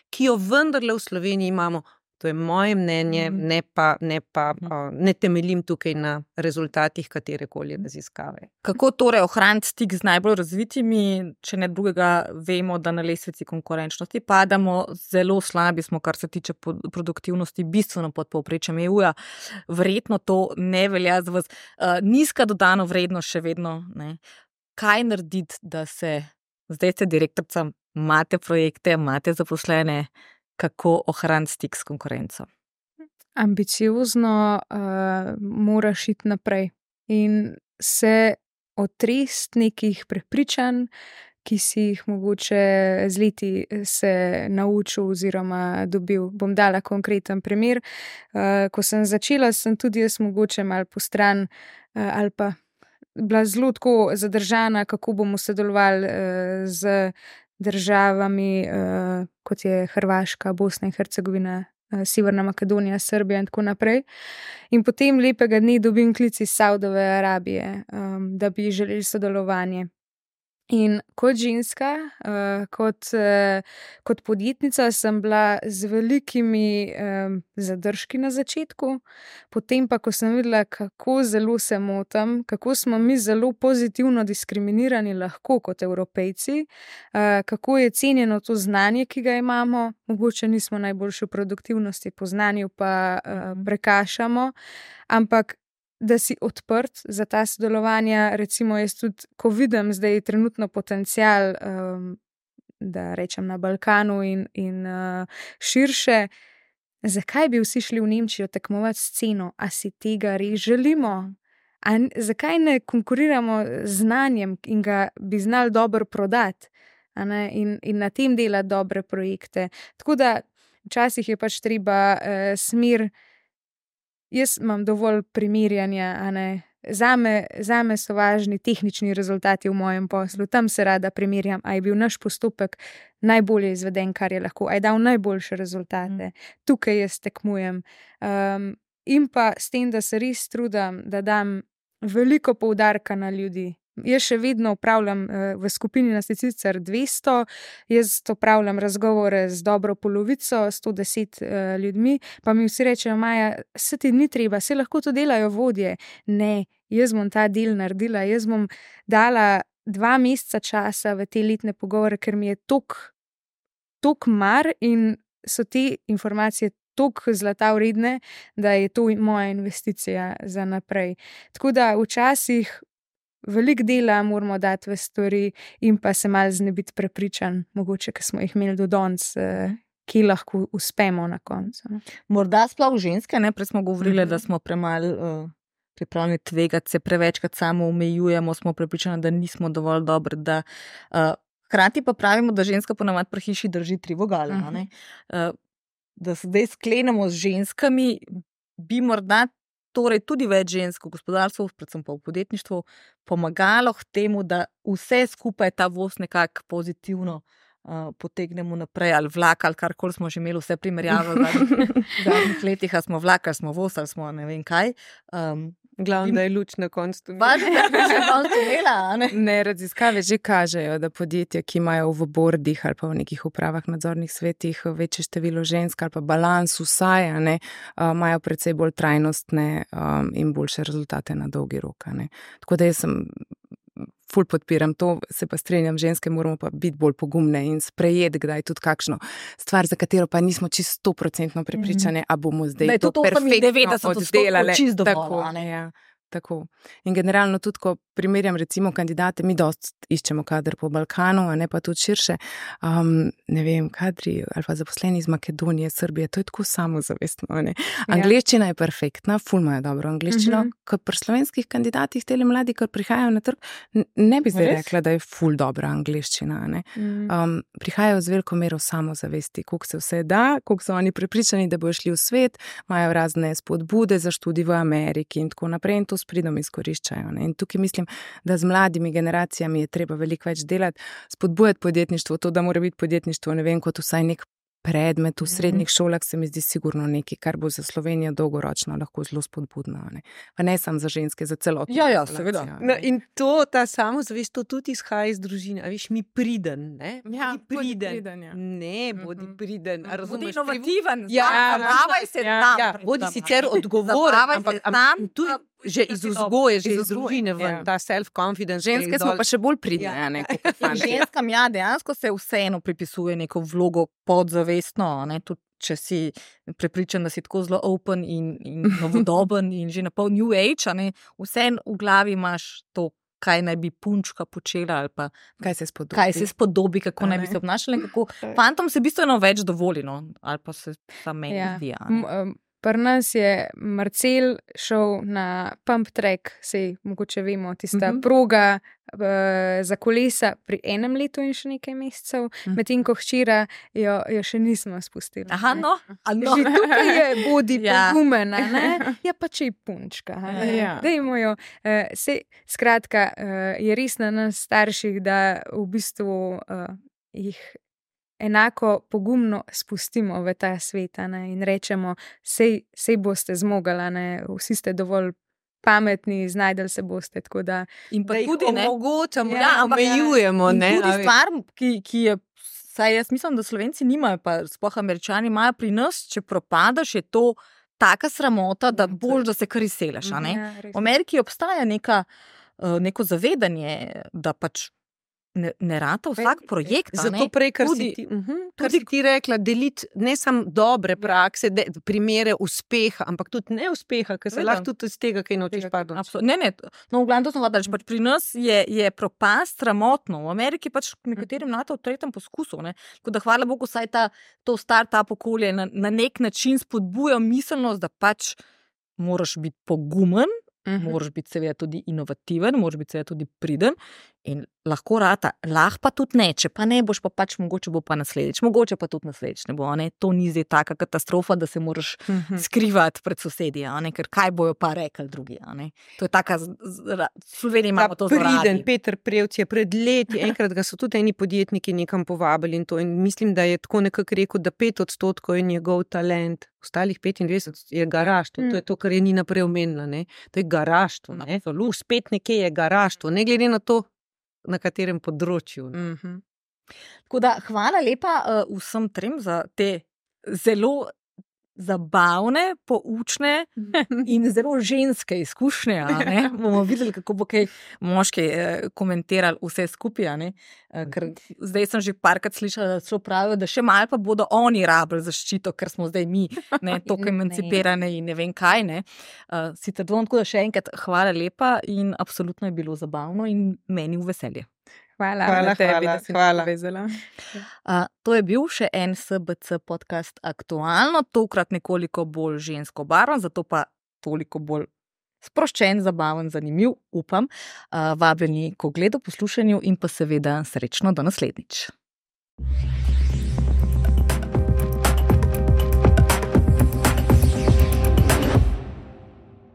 ki jo vendarle v Sloveniji imamo. To je moje mnenje, ne temeljim tukaj na rezultatih katerekoli raziskave. Kako torej ohraniti stik z najbolj razvitimi, če ne drugega vemo, da na lestvici konkurenčnosti padamo, zelo slabi smo, kar se tiče produktivnosti, bistveno pod povprečjem EU-ja. Verjetno to ne velja za vas. Nizka dodana vrednost še vedno. Ne? Kaj narediti, da se, zdaj ste direktorica, imate projekte, imate zaposlene, kako ohraniti stik s konkurenco? Ambiciozno moraš iti naprej in se otresti nekih prepričanj, ki si jih mogoče z leti se naučil oziroma dobil. Bom dala konkreten primer. Ko sem začela, sem tudi jaz mogoče malo postran ali pa bila zelo tako zadržana, kako bomo sodelovali z državami, kot je Hrvaška, Bosna in Hercegovina, Severna Makedonija, Srbija in tako naprej. In potem lepega dne dobim klic iz Saudove Arabije, da bi želeli sodelovanje. In kot ženska, kot podjetnica sem bila z velikimi zadržki na začetku, potem pa, ko sem videla, kako zelo se motim, kako smo mi zelo pozitivno diskriminirani lahko kot Evropejci, kako je cenjeno to znanje, ki ga imamo, mogoče nismo najboljši v produktivnosti, po znanju pa prekašamo, ampak da si odprt za ta sodelovanja. Recimo, jaz tudi, ko vidim zdaj trenutno potencial, da rečem na Balkanu in širše, zakaj bi vsi šli v Nemčijo tekmovati sceno? A si tega res želimo? Zakaj ne konkuriramo z znanjem in ga bi znali dobro prodati? In na tem delati dobre projekte. Tako da včasih je pač treba smer. Jaz imam dovolj primerjanja, Zame so važni tehnični rezultati v mojem poslu. Tam se rada primerjam, a je bil naš postopek najbolje izveden, kar je lahko, a je dal najboljše rezultate. Tukaj jaz tekmujem. In pa s tem, da se res trudim, da dam veliko poudarka na ljudi. Jaz še vedno upravljam v skupini nas je sicer 200, jaz upravljam razgovore z dobro polovico, 110 ljudmi, pa mi vsi rečejo, Maja, se ti ni treba, se lahko to delajo vodje. Ne, jaz bom ta del naredila, jaz bom dala 2 meseca časa v te letne pogovore, ker mi je tok mar in so te informacije toliko zlata vredne, da je to moja investicija za naprej. Tako da včasih veliko dela moramo dati v stvari in pa se malo znebiti prepričanj, mogoče, ki smo jih imeli do danes, ki lahko uspemo na koncu. Morda sploh ženske, prej smo govorili, da smo premalo pripravljeni tvegati, se prevečkrat samo omejujemo, smo prepričani, da nismo dovolj dobri, da hkrati pa pravimo, da ženska ponavadi pri hiši drži 3 vogale. Da se zdaj sklenemo z ženskami, bi morda torej tudi več žensk v gospodarstvu, predvsem pa v podjetništvu, pomagalo k temu, da vse skupaj ta voz nekako pozitivno potegnemo naprej, ali vlak, ali karkoli smo že imeli vse primerjave v zadnjih letih, ali smo vlak, ali smo voz, ali smo ne vem kaj. Glavno, da je luč na koncu. Ne, raziskave že kažejo, da podjetja, ki imajo v bordih ali pa v nekih upravah, nadzornih svetih večje število žensk ali pa balans vsaj, imajo precej bolj trajnostne in boljše rezultate na dolgi rok. Tako da jaz sem ful podpiram to, se pa strenjam, ženske moramo pa biti bolj pogumne in sprejeti kdaj tudi kakšno stvar, za katero pa nismo čisto 100% prepričane, a bomo zdaj to perfektno oddelali. Tako. In generalno tudi, ko primerjam recimo kandidate, mi dosti iščemo kader po Balkanu, a ne pa tudi širše, ne vem, kadri ali pa zaposleni iz Makedonije, Srbije, to je tako samozavestno. Angleščina je perfektna, ful imajo dobro angleščino, kot pri slovenskih kandidatih, tele mladi, ki prihajajo na trg, ne bi zdaj rekla, da je ful dobra angleščina. Prihajajo z veliko mero samozavesti, koliko se vse da, koliko so oni prepričani, da bojo šli v svet, imajo razne spodbude za študij v Ameriki in tako naprej, in to s pridom izkoriščajo. In tukaj mislim, da z mladimi generacijami je treba veliko več delati, spodbujati podjetništvo, to, da mora biti podjetništvo, ne vem, kot vsaj nek predmet v srednjih šolah, se mi zdi sigurno nekaj, kar bo za Slovenijo dolgoročno lahko zelo spodbudno. Pa ne samo za ženske, za celotno. Ja, seveda. In ta samozavest, to tudi izhaja iz družine. A veš, mi priden, ne? Ja, bodi priden. Ne, bodi priden. Bodi inovativen. Zabavaj se tam. Bodi sicer odgovoren, ampak tu že iz vzgoje, že iz družine ven, ta self-confidence. Ženske smo pa še bolj pridne, Ženskam, dejansko se vseeno pripisuje neko vlogo podzavestno, tudi če si prepričan, da si tako zelo open in novodoben in že na pol new age, vseeno v glavi imaš to, kaj naj bi punčka počela ali pa kaj se spodobi, kako naj bi se obnašala in kako. Fantom se bistveno več dovoli, ali pa se sam meni zdi. Pri nas je Marcel šel na pump track, sej mogoče vemo, tista proga za kolesa pri 1 letu in še nekaj mesecev, medtem ko hčera jo še nismo spustili. Že tukaj je bodi pogumen, ja pa če je punčka. Dajmo jo. Skratka, je res na nas starših, da v bistvu jih enako pogumno spustimo v ta svet in rečemo, sej boste zmogli, vsi ste dovolj pametni, znajdeli se boste, tako da... In pa tudi omogočamo, omejujemo. Tudi stvar, ki je, saj jaz mislim, da Slovenci nimajo, pa sploh Američani imajo pri nas, če propadaš, je to taka sramota, da boš, da se kar izseleš. V Ameriki obstaja neko zavedanje, da pač ne rata vsak projekt. Zato prej, kar si ti rekla, deliti ne samo dobre prakse, primere uspeha, ampak tudi neuspeha, ker se lahko tudi iz tega kaj naučiš. Ne, no, v glavnem to sem hodila, pač pri nas je propast sramotno, v Ameriki pač nekaterim rata v tretjem poskusu, ne, tako da hvala Bogu, saj to start-up okolje na nek način spodbuja miselnost, da pač moraš biti pogumen, moraš biti seveda tudi inovativen, moraš biti seveda tudi priden in lahko rata, lahko pa tudi ne, če pa ne boš pa pač mogoče bo pa naslednjič, mogoče pa tudi naslednjič ne bo, ne? To ni zdaj taka katastrofa, da se moraš skrivati pred sosedji, ker kaj bojo pa rekli drugi, ne? To je taka, Slovenija imamo to zelo radi. Priden Peter Prevc je pred leti, enkrat ga so tudi eni podjetniki nekam povabili in to, in mislim, da je tako nekako rekel, da 5% je njegov talent, ostalih 25% je garaštvo, to je to, kar je Nina prej omenila, ne? To je garaštvo, ne? Spet nekje je garaštvo, ne glede na to, na katerem področju. Tako da, hvala lepa vsem trem za te zelo zabavne, poučne in zelo ženske izkušnje. Ne? Bomo videli, kako bo kaj moški komentirali vse skupaj. Ne? Ker zdaj sem že parkrat slišala, da so pravijo, da še malo pa bodo oni rabili zaščito, ker smo zdaj mi toliko emancipirane in ne vem kaj. Ne? Sicer dvom, tako da še enkrat hvala lepa in absolutno je bilo zabavno in meni v veselje. Hvala tebi, da si me povezala. To je bil še en SBC podcast Aktualno, tokrat nekoliko bolj žensko barvan, zato pa toliko bolj sproščen, zabaven, zanimiv, upam. Vabljeni k ogledu, poslušanju in pa seveda srečno do naslednjič.